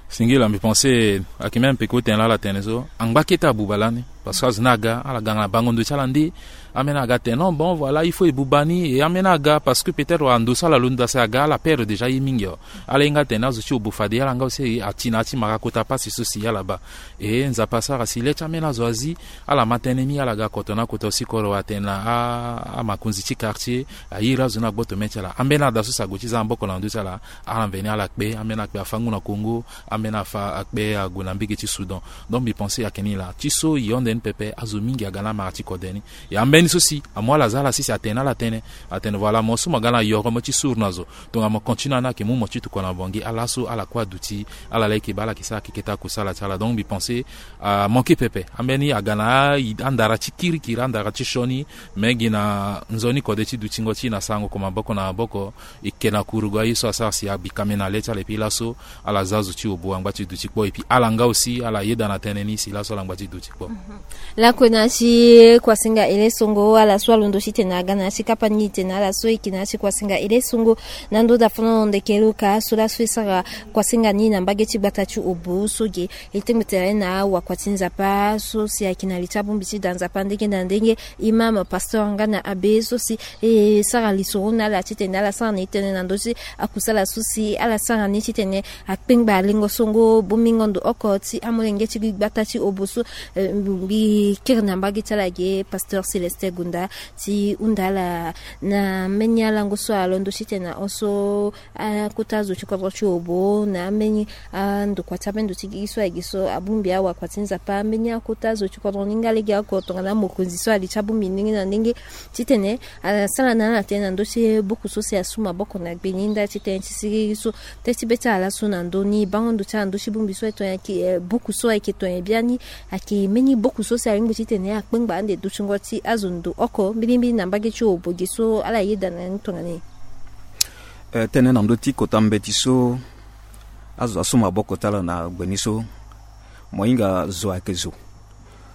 Singila, mbi pense ayeke même peko tene laa ala tene so angba kete abuba lani. Parce que azo ni aga, ala ga na bango ndo ti ala nde. Ambeni aga tene non, bon, voilà, il faut e buba ni. E ambeni aga parce que peut-être wala ndo so ala londo daa si aga, ala perdre déjà ye mingi o. Ala hinga tene azo ti obo fade ala nga aussi ati na ya ti mara kota pasi so si ala baa. E Nzapa asara si le ti ambeni azo azi, ala ma tënë ni, ala ga koto na koto si koro atene na a, amakonzi ti quartier, a iri azo ni agboto mê ti ala. Ambeni ada so si ague ti za maboko na ndö ti ala, ala mveni ala kpe, ambeni akpe afa ngu na Congo, ambeni afa akpe ague na mbege ti Soudan. Donc mbi pense ayeke ni laa. Ti so e hon nde ni pepe, azo mingi aga na amara ti kode ni. E ambeni so si amu ala za ala sese atene na ala tënë, atene voilà, mo so mo ga na yoro mo ti suru na zo, tongana mo continue na ni ayeke mu mo ti tokua na Bangui. Ala so ala kue aduti, ala laa e yeke baa ala yeke sara keke ti akusala ti ala. Donc mbi pense amanke pepe. Ambeni aga na a, andara ti kirikiri, andara ti sioni, me gi na nzoni kode ti dutingo ti e na sarango ko maboko na maboko, e ke na kurugu aye so asara si abikame na le ti ala. Epui laso ala za zo ti obo angba ti duti kpo, epui ala nga aussi ala yeda na tënë ni si laso ala ngba ti duti kpo. Lakue na ya ti kuasinga ele songo, ala so alondo titene aga na ya ti kapa ni tene ala so e yeke na ya ti kuasinga ele songo na ndö dafono ndeke luka so laso e sara kuasinga ni na mbage ti gbata ti obo so ge. E tengbe tere na wakua ti Nzapa so si ayeke na li ti abongbi ti da Nzapa ndenge na ndenge, imam, pasteur nga na abbé so si e sara lisoro na ala titene ala sara na e tënë na ndö ti akusala so si ala sara ni titene akpengba lengo songo bongbingo ndo oko ti amolenge ti gbata ti obo so. Eh, mbi kiri na mbage ti ala ge pasteur Célestin Gunda ti hunda ala na mbeni alango so alondo titene ahon so akota zo ti kodro ti obo na ambeni andokua ti ambeni ndo ti gigi so ayeke so abongbi awakua ti Nzapa, ambeni akota zo ti kodro ni nga legeoko tongana mokonzi so ali ti abongbi ndenge na ndenge titene asara na ala tënë na ndö ti buku so si asu maboko na gbe ni nda titene ti siriri so. Teti be ti ala laso na ndö ni bango ndo ti ala ndö ti bongbi so ayeke, eh, buku so ayeke tonye biani. Ayeke mbeni buku so si alingbi titene akpengba ande dutingo ti azo ndo oko mbilimbili na mbage ti obo ge so ala yeda na ni tongana nyen? Eh, tënë na ndö ti kota mbeti so azo asu maboko ti ala na gbe ni so, mo hinga zo ayeke zo.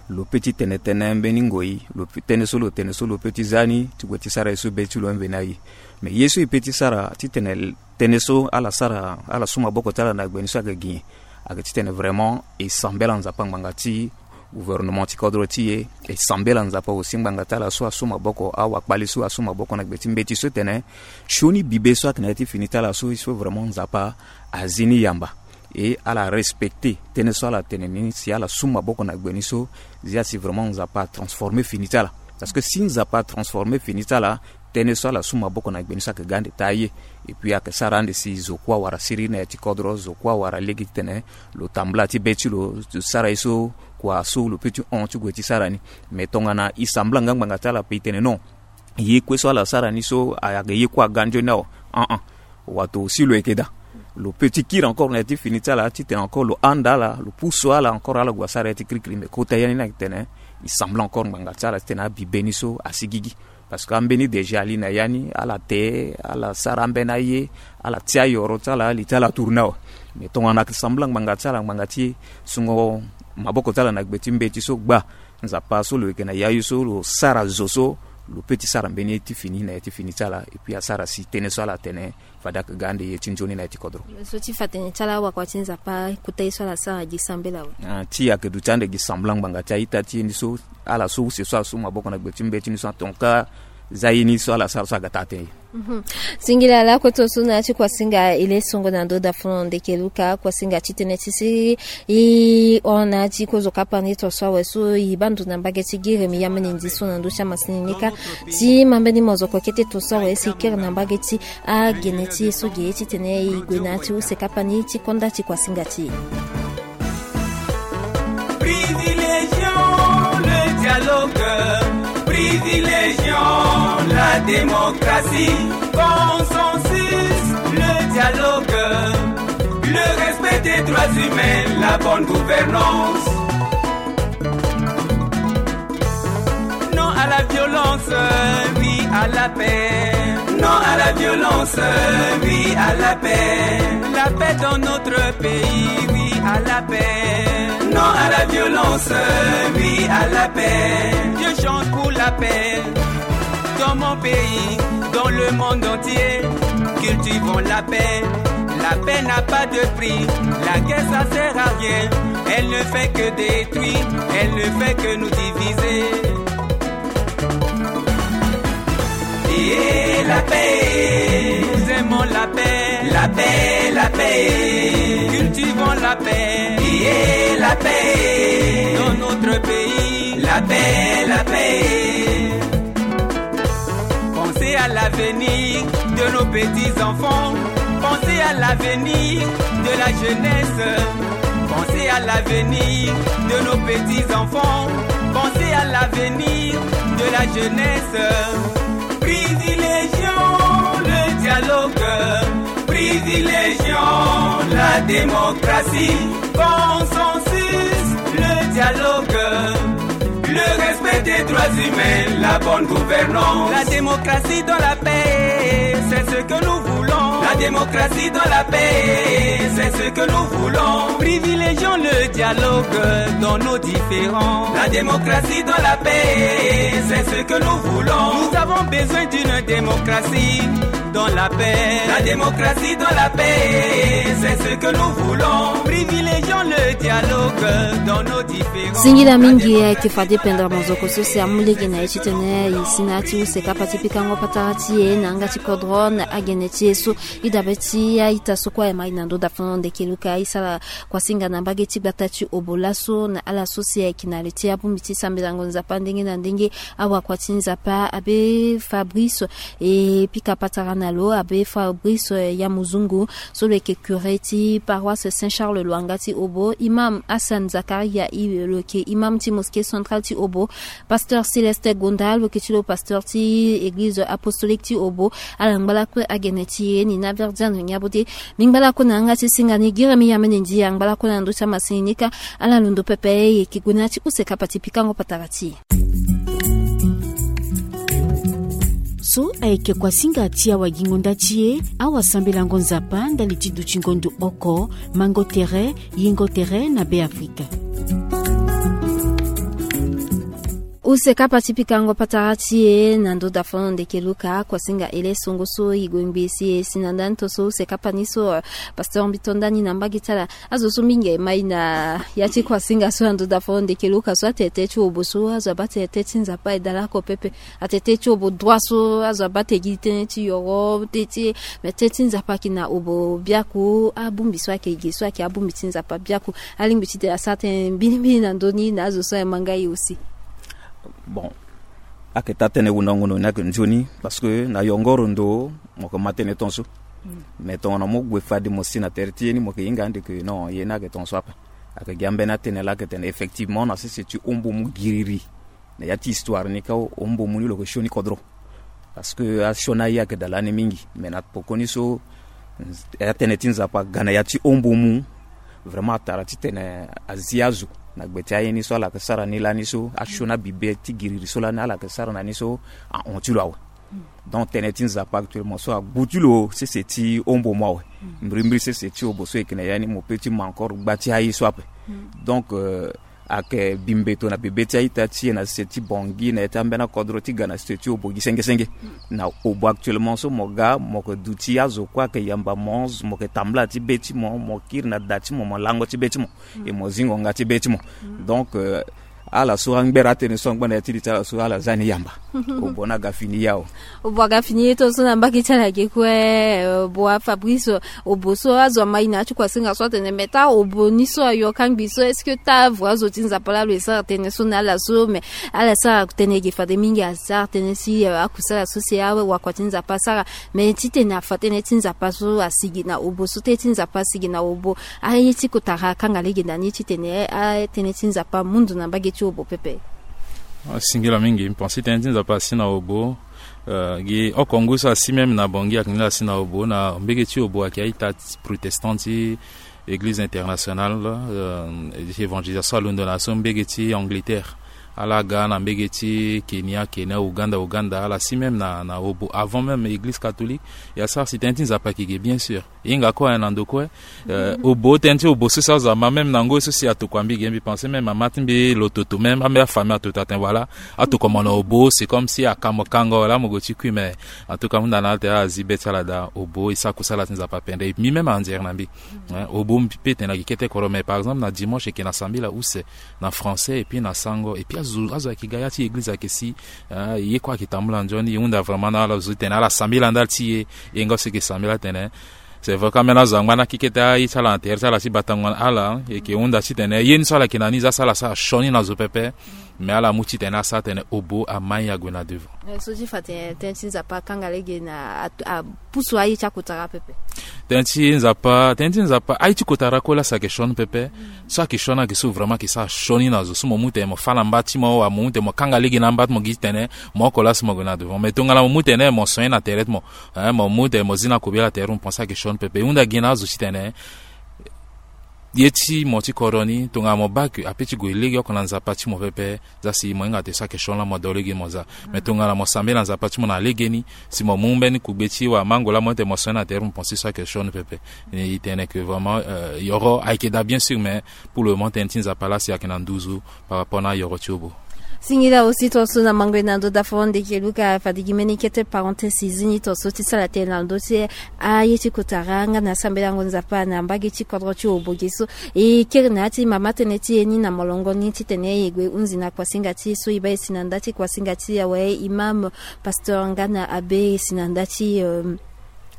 Lo pe ti tene tënë mbeni ngoi, lo pe tënë so lo tene so lo pe ti za ni ti gue ti sara ye so be ti lo ambe na ye. Me ye so e pe ti sara titene tënë so ala sara ala su maboko ti ala na gbe ni so ayeke gi nyen? Ayeke titene vraiment e sambela Nzapa ngbanga ti gouvernement ti kodro ti e, e sambela Nzapa aussi ngbanga ti ala so asu maboko, awakpali so asu maboko na gbe ti mbeti so tene sioni bibe so ayeke na ya ti fini ti ala so, so vraiment Nzapa azi ni yamba. E ala respecte tënë so ala tene ni si ala su maboko na gbe ni so, zia si vraiment Nzapa atransforme fini ti ala. Parce que si Nzapa atransforme fini ti ala, tënë so ala su maboko na gbe ni so ayeke ga ande taa ye. Et puis ayeke sara ande si zo kue awara siriri na ya ti kodro, zo kue awara lege titene lo tambula ti be ti lo, sara ye so kua so lo pe ti hon ti gue ti sara ni. Me tongana e sambela nga ngbanga ti ala pe e tene non, ye kue so ala sara ni so ayeke ye kue aga nzoni awe. An-an. Wato si lo yeke daa, lo pe ti kiri encore na ya ti fini ti ala titene encore lo handa ala, lo pusu ala encore ala gue asara ya ti kirikiri. Me kota ya ni ni ayeke tene e sambela encore ngbanga ti ala titene abi be ni so asi gigi. Parce que ambeni déjà ali na ya ni, ala te, ala sara ambeni aye, ala ti ayoro ti ala, li ti ala tourne awe. Me tongana ayeke sambela ngbanga ti ala ngbanga ti sungo maboko ti ala na gbe ti mbeti so gba, Nzapa so lo yeke na yayu so lo sara zo so lo pe ti sara mbeni ye ti fini na ya ti fini ti ala. Et puis asara si tënë so ala tene fade ayeke ga ande ye ti nzoni na ya ti kodro. So ti fa tene ti ala awakua ti Nzapa kota ye so ala sara gi sambela awe. Ah, ti ayeke duti ande gi sambela ngbanga ti a-ita ti ye ni so, ala so use so asu maboko na gbe ti mbeti ni so atonga za ye ni so ala sara so aga taa tënë ye. Mhm. Singila lakue tongaso na ya ti kuasinga e le songo na ndo dafono ndeke luka kuasinga ti tënë ti si e hon na ya ti kozo kapa ni tongaso awe so e baa ndo na mbage ti gi remi ya mene ndi so na ndö ti amasini ni kâ. Ti ma mbeni mozoko kete tongaso awe si e kiri na mbage ti agene ti e so ge titene e gue na ya ti use kapa ni ti konda ti kuasinga ti e. Privilégions le dialogue, privilégions la démocratie, consensus, le dialogue, le respect des droits humains, la bonne gouvernance. Non à la violence, oui à la paix. Non à la violence, oui à la paix. La paix dans notre pays, oui à la paix. Non à la violence, oui à la paix. Je chante pour la paix. Dans mon pays, dans le monde entier, cultivons la paix. La paix n'a pas de prix. La guerre, ça sert à rien. Elle ne fait que détruire. Elle ne fait que nous diviser. Et la paix. Nous aimons la paix. La paix, la paix. Cultivons la paix. Et la paix. Dans notre pays. La paix, la paix. Pensez à l'avenir de nos petits-enfants. Pensez à l'avenir de la jeunesse. Pensez à l'avenir de nos petits-enfants. Pensez à l'avenir de la jeunesse. Privilégions le dialogue. Privilégions la démocratie. Consensus, le dialogue, le respect des droits humains, la bonne gouvernance. La démocratie dans la paix, c'est ce que nous voulons. La démocratie dans la paix, c'est ce que nous voulons. Privilégions le dialogue dans nos différends. La démocratie dans la paix, c'est ce que nous voulons. Nous avons besoin d'une démocratie dans la paix. La démocratie dans la paix, c'est ce que nous voulons. Privilégions le dialogue dans nos différends. Singila mingi, ayeke fade pendere mozoko so si amu lege na ye titene e si na ya ti use kapa ti pikango patara ti e na yanga ti kodro na agene ti e so. E dabe ti a-ita so kue aye ma e na ndo dafono ndeke luka e sara kuasinga na mbage ti gbata ti obo laso na ala so si ayeke na le ti abongbi ti sambelango Nzapa ndenge na ndenge. Awakua ti Nzapa abe Fabrice e pika patara na lo, abe Fabrice, eh, Yamuzungu, so lo yeke curé ti paroisse Saint Charles Lwanga ti Obo, imam Hassan Zakaria, i lo yeke imam ti mosquée centrale ti Obo, pasteur Céleste Gonda, lo yeke ti lo pasteur ti église apostolique ti Obo. Ala ngba lakue agene ti e ni na Verdiane Niabode. Mbi ngba lakue na yanga ti singa ni, giremi ya mene ndi, angba lakue na ndö ti amasini ni kâ. Ala londo pepe, e yeke gue na ya ti use kapa ti pikango patara ti e. So ayeke kuasinga ti awagingo nda ti e, awasambelango Nzapa ndali ti dutingo ndo oko, mango tere, yingo tere na Beafrika. Use kapa ti pikango patara ti e na ndo dafon ndeke luka kuasinga ele songo so e gue ngbe si e si na ndani to so use kapa ni so, eh, pasteur mbi to ndani na mbage ti ala. Azo so mingi e mai na ya ti kuasinga so na ndo dafon ndeke luka so atete ti obo so azo abate tete ti nzapa e dalako pepe. Atete ti obo droit so azo abate gi tënë ti yoro tënë ti, me tënë ti nzapa ayeke na obo biaku. Abongbi so ayeke ge so ayeke abongbi ti nzapa biaku. Alingbi ti tene asara tënë mbirimbiri na ndö ni na azo so aye ma nga ye aussi. Bon, ayeke taa tënë wundango ndo ni ayeke nzoni parce que na yongoro ndo mo yeke ma tënë tongaso. Mais tongana mo gue fade mo si na tere ti ye ni mo yeke hinga ande ke non ye ni ayeke tongaso ape. Ayeke gi ambeni atënë laa ayeke tene effectivement na sese ti ombo mu giriri. Na ya ti histoire ni kâ, ombo mu ni lo yeke sioni kodro. Parce que asioni aye ayeke daa lani mingi. Mais na pokoni so atënë ti nzapa aga na ya ti ombo mu, vraiment atara titene azi azo na gbe ti aye ni so ala yeke sara ni lani so asioni abibe ti giriri so lani ala yeke sara na ni so ahon ti lo awe. Donc tënë ti nzapa actuellement so agbu ti lo sese ti ombo mu awe. Mbirimbiri sese ti obo so e yeke na ya ni mo peut ti ma encore gba ti aye so ape. Donc, euh, ayeke bi mbeto na bebe ti a-ita ti e na sese ti Bangui na ya ti ambeni akodro ti ga na sese ti obo gi senge senge. Na obo actuellement so mo ga mo yeke duti azo kue ayeke yamba mo, mo yeke tambula ti be ti mo, mo kiri na da ti mo, mo lango ti be ti mo. E mo zi ngonga ti be ti mo. Donc, euh, ala so angbere atënë so angba na ya ti li ti ala so ala za ni yamba. Obo ni aga fini ya o. Obo aga fini ye tongaso na mbage ti ala ge kue. Eh, obo a Fabrice, obo so azo amai na ya ti kuasinga so atene me taa obo ni so ayo kangbi so est-ce que taa avo azo ti nzapa laa lo e sara tënë so na ala so? Mais ala sara tënë ge fade mingi asara tënë si, eh, akusala so si awakua ti nzapa asara. Mais titene afa tënë ti nzapa so asigi na obo so tënë ti nzapa asigi na obo, aye ti kotara akanga lege na ni titene atënë ti nzapa amu ndo na mbage ti obo pepe. Asingila mingi, mbi pense tënë ti nzapa asi na obo. Euh, gi oko ngu so asi même na Bangui ayeke ni laa asi na obo na mbage ti obo ayeke a-ita protestant ti Église internationale, euh, évangélisation alondo na so mbage ti Angleterre. Ala ga na mbage ti Kenya, Kenya, Ouganda, Ouganda, ala si même na, na obo avant même Église catholique. Ya sara si tënë ti nzapa ayeke ge bien sûr. E hinga kue na ndo kue. Euh, obo tënë ti obo so si azo ama même na ngoi so si atokua mbi ge mbi pense même ama ti mbi lo toto même ambe afamille atoto atene voilà. Atokua mo na obo c'est comme si aka mo kango laa mo gue ti kui mais en tout cas hunda na ala tene ala zi be ti ala daa obo e sara kusala ti nzapa pendere mbi même anzere na mbi. Hein, obo mbi peut tene na gi kete kodro mais par exemple na dimanche e yeke na sambela use na français et puis na sango et puis azo, azo ayeke ga ya ti église ayeke si, hein, ye kue ayeke tambula nzoni e hunda vraiment na ala zo titene ala sambela ndali ti e. E nga so e yeke sambela atene c'est vrai ka ambeni azo angba na kikete aye ti ala na tere ti ala ti batango na ala e yeke hunda titene ye ni so ala yeke na ni za so ala sara sioni na zo pepe. Mais ala mu titene asara tene obo amai ague na devant. Eh, so ti fa tene tënë ti nzapa akanga lege na a, a, pusu aye ti akotara pepe. Tënë ti nzapa, tënë ti nzapa aye ti kotara kue laa si ayeke sioni pepe. So ayeke sioni ayeke so vraiment ayeke sara sioni na zo so mo mu tene mo fâ na mba ti mo wala mo mu tene mo kanga lege na amba ti mo gi titene mo oko laa si mo gue na devant mais tongana mo mu tene mo soigné na tere ti mo. Hein, mo mu tene mo zi na kobela tere mo pense ayeke sioni pepe e hunda gi na azo titene ye ti mo ti kodro ni tongana mo baa ke ape ti gue lege oko na nzapa ti mo pepe. Za si mo hinga tene so ayeke sioni laa mo do lege mo za. Mais tongana mo sambela nzapa ti mo na legeni si mo mu mbeni kugbe ti wala mango laa mo tene mo soigné na tere mo pense so ayeke sioni pepe. E tene ke vraiment, euh, yoro ayeke daa bien sûr mais pour le moment tënë ti nzapa laa si ayeke na nduzu par rapport na yoro ti obo. Singila aussi tongaso na mango e na ndo dafo ndeke luka fade gi mbeni kete parenthèse e zi ni tongaso ti sala tënë na ndö ti aye ti kotara nga na sambelango nzapa na mbage ti kodro ti obo ge so. E kiri na ya ti mama tënë ti e ni na molongo ni titene e gue hunzi na kuasinga ti e so e baa e si na nda ti kuasinga ti e awe imam, pasteur nga na abbé e si na nda ti, euh,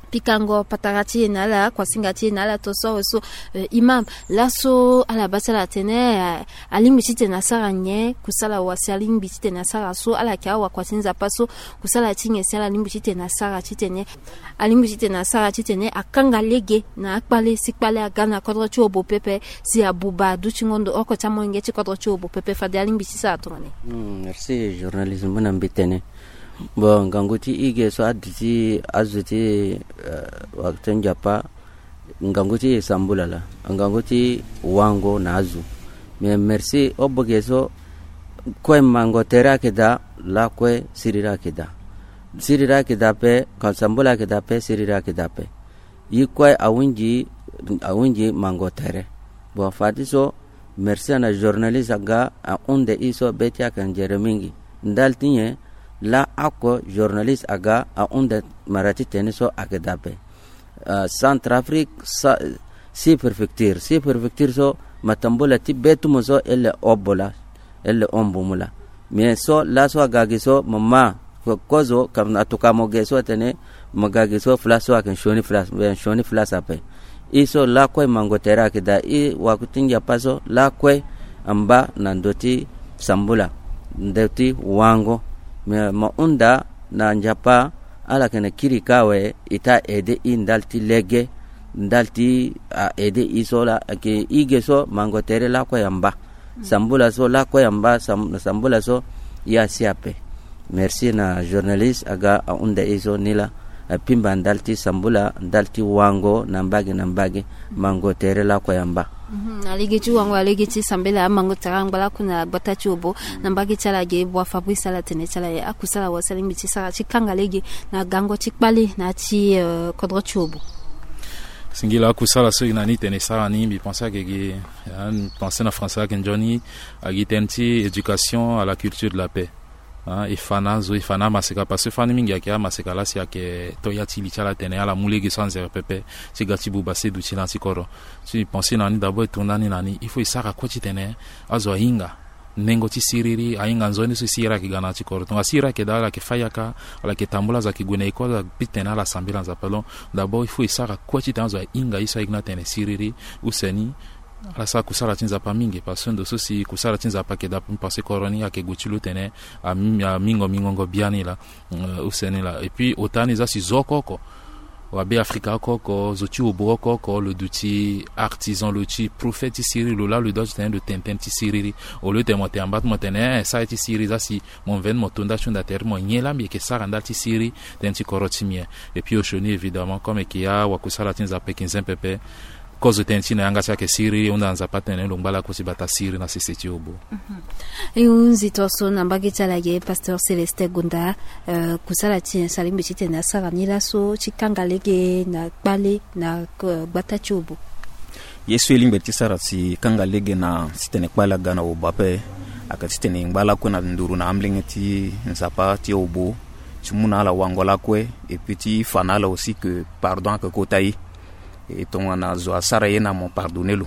pikango patara ti e na ala kuasinga ti e na ala to so awe so. Euh, imam, laso ala baa ti ala atene, euh, alingbi titene asara nyen kusala wa si alingbi titene asara so ala yeke awakua ti nzapa so kusala ti nyen si ala lingbi titene asara titene alingbi titene asara titene akanga lege na akpale si kpale aga na kodro ti obo pepe si abuba adutingo ndo oko ti amolenge ti kodro ti obo pepe fade alingbi ti sara tongana nyen? Hmm, merci journaliste mu na mbi tene. Bon, ngangu ti e ge so aduti azo ti, euh, wakua ti nzapa. Ngangu ti e sambula laa, ngangu ti wango na azo. Mais merci obo ge so kue mango tere ayeke daa, lakue siriri ayeke daa. Siriri ayeke daa ape, ka sambula ayeke daa ape, siriri ayeke daa ape. Ye kue ahunzi, ahunzi mango tere. Bon, fade so merci na journaliste aga ahunde e so be ti ayeke nzere mingi. Ndali ti nyen? Laa oko journaliste aga ahunda mara ti tene so ayeke daa ape. Centrafrique, six préfectures, six préfectures so, matambula ti be ti mo so ele obo laa, ele ombu mu laa. Mais so laso aga gi so mo ma kozo kam na tuka mo ge so atene mo ga gi so fla so ayeke nsioni fla, nsioni fla so ape. I so lakue mango tere ayeke daa i waku ti nzapa so lakue amba na ndö ti sambula, ndö ti wango. Mais mo hunda na nzapa ala yeke na kiri ka awe, e ta aide i ndali ti lege, ndali ti a aide i so laa ayeke i ge so mango tere lakue amba. Sambula so lakue amba, sambula so ya si ape. Merci na journaliste aga ahunda e so ni laa, apimba ndali ti sambula, ndali ti wango na mbage na mbage, mango tere lakue amba. Na lege ti wango, na lege ti sambela, amango tere angba lakue na gbata ti obo. Na mbage ti ala ge bua Fabrice ala tene ti ala ye akusala wa salingbi ti sara ti kanga lege na gango ti kpale na ti kodro ti obo. Singila akusala so e na ni tene sara ni mbi pense ayeke gi, pense na français ayeke nzoni, agi tënë ti éducation à la culture de la paix. E fa na azo, e fa na amaseka parce que fani mingi ayeke amaseka laa si ayeke to ya ti li ti ala tene ala mu lege so anzere pepe ti ga ti buba se duti na ya ti kodro. Si e pense na ni d'abord e tonda ni na ni il faut e sara kue titene azo ahinga nengo ti siriri, ahinga nzoni so siriri ayeke ga na ya ti kodro. Tonga siriri ayeke daa ala yeke fâ yaka, ala yeke tambula, azo ayeke gue na ecole, ala bi tene ala sambela Nzapa. Donc d'abord il faut e sara kue titene azo ahinga ye so ayeke na tene siriri use ni. Ala sara kusala ti Nzapa mingi parce que ndo so si kusala ti Nzapa ayeke daa, parce que kodro ni ayeke gue ti lo tene amingo mingongo biani laa. Use ni laa. Et puis ota ni za si zo oko oko, wabe Afrika oko oko, zo ti obo oko oko, lo duti artisan, lo ti prophète ti siriri, lo laa lo doit titene lo tene tënë ti siriri. Au lieu tene mo tene amba ti mo tene eh sara ye ti siriri, za si mo mveni mo to nda ti hunda tere ti mo nyen laa mbi yeke sara ndali ti siriri tënë ti kodro ti mbi. Et puis osioni évidemment comme e yeke ya wakusala ti Nzapa e yeke nzempe pepe. Kozo tënë ti na yanga ti ayeke siriri, e hunda na Nzapa atene lo ngba lakue ti bata siriri na sese ti obo. E hunzi tongaso na mbage ti ala ge pasteur Célestin Gonda. Kusala ti nyen so alingbi titene asara ni laso ti kanga lege na kpale na gbata ti obo? Ye so e lingbi ti sara si kanga lege na titene kpale aga na obo ape ayeke titene e ngba lakue na nduru na amolenge ti Nzapa ti obo, ti mu na ala wango lakue, et puis ti fa na ala aussi que pardon ayeke kota ye. E tongana zo asara ye na mo pardonner lo.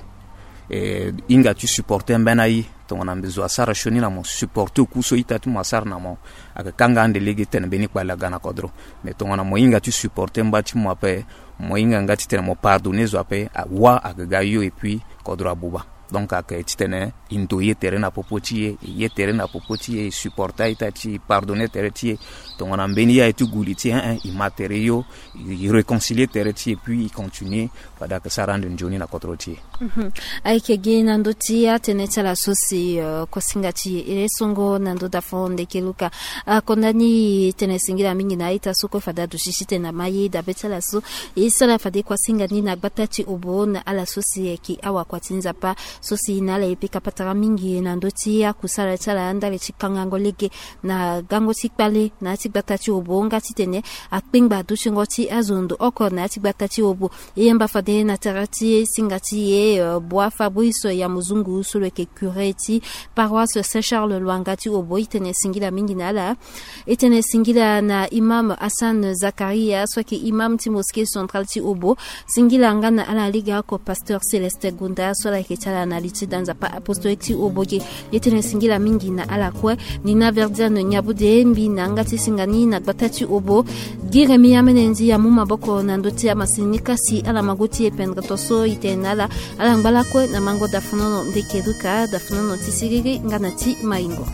E hinga ti supporter mbeni aye. Tongana mbi zo asara sioni na mo supporter oku so ita ti mo asara na mo, ayeke kanga ande lege tene mbeni kpale aga na kodro. Mais tongana mo hinga ti supporter mba ti mo ape, mo hinga nga titene mo pardonner zo ape, wa ayeke ga yo et puis kodro abuba. Donc ayeke titene e ndo ye tere na popo ti e, e ye tere na popo ti e, e supporter a-ita ti e, e pardonner tere ti e. Tongana mbeni ye aye ti gu li ti e, eh eh, e ma tere yo, e réconcilier tere ti e, puis e continuer fade ayeke sara ande nzoni na kodro ti e. Ayeke gi na ndö ti atënë ti ala so si kosinga ti e, e songo na ndö dafo ndeke luka. Akonda ni tënë singila mingi na a-ita so kue fade aduti titene ama ye dabe ti ala so. E sara fade kosinga ni na gbata ti obo na ala so si ayeke awakua ti Nzapa so si na ala e pika patara mingi na ndö ti akusala ti ala ndali ti kangango lege na gango ti kpale na ya ti gbata ti obo nga titene akpengba dutingo ti azo ndo oko na ya ti gbata ti obo. E yamba fade na tere ti singa ti e, eh, Bua Fabrice ya Muzungu so lo yeke curé ti paroisse Saint Charles Lwanga ti obo, e tene singila mingi na ala. E tene singila na imam Hassan Zakaria so ayeke imam ti mosquée centrale ti obo. Singila nga na ala lege oko pasteur Célestin Gonda so ala yeke ti ala na li ti da Nzapa apostolique ti obo ge. E tene singila mingi na ala kue. Nina Verdiane Niabude mbi na yanga ti singa ni na gbata ti obo. Gi Remi amene nzi amu maboko na ndö ti amasini ni kasi ala mago ti e pendre to so e tene na ala. Ala ngba lakue na mango dafunono ndeke luka, dafunono ti siriri nga na ti maingo.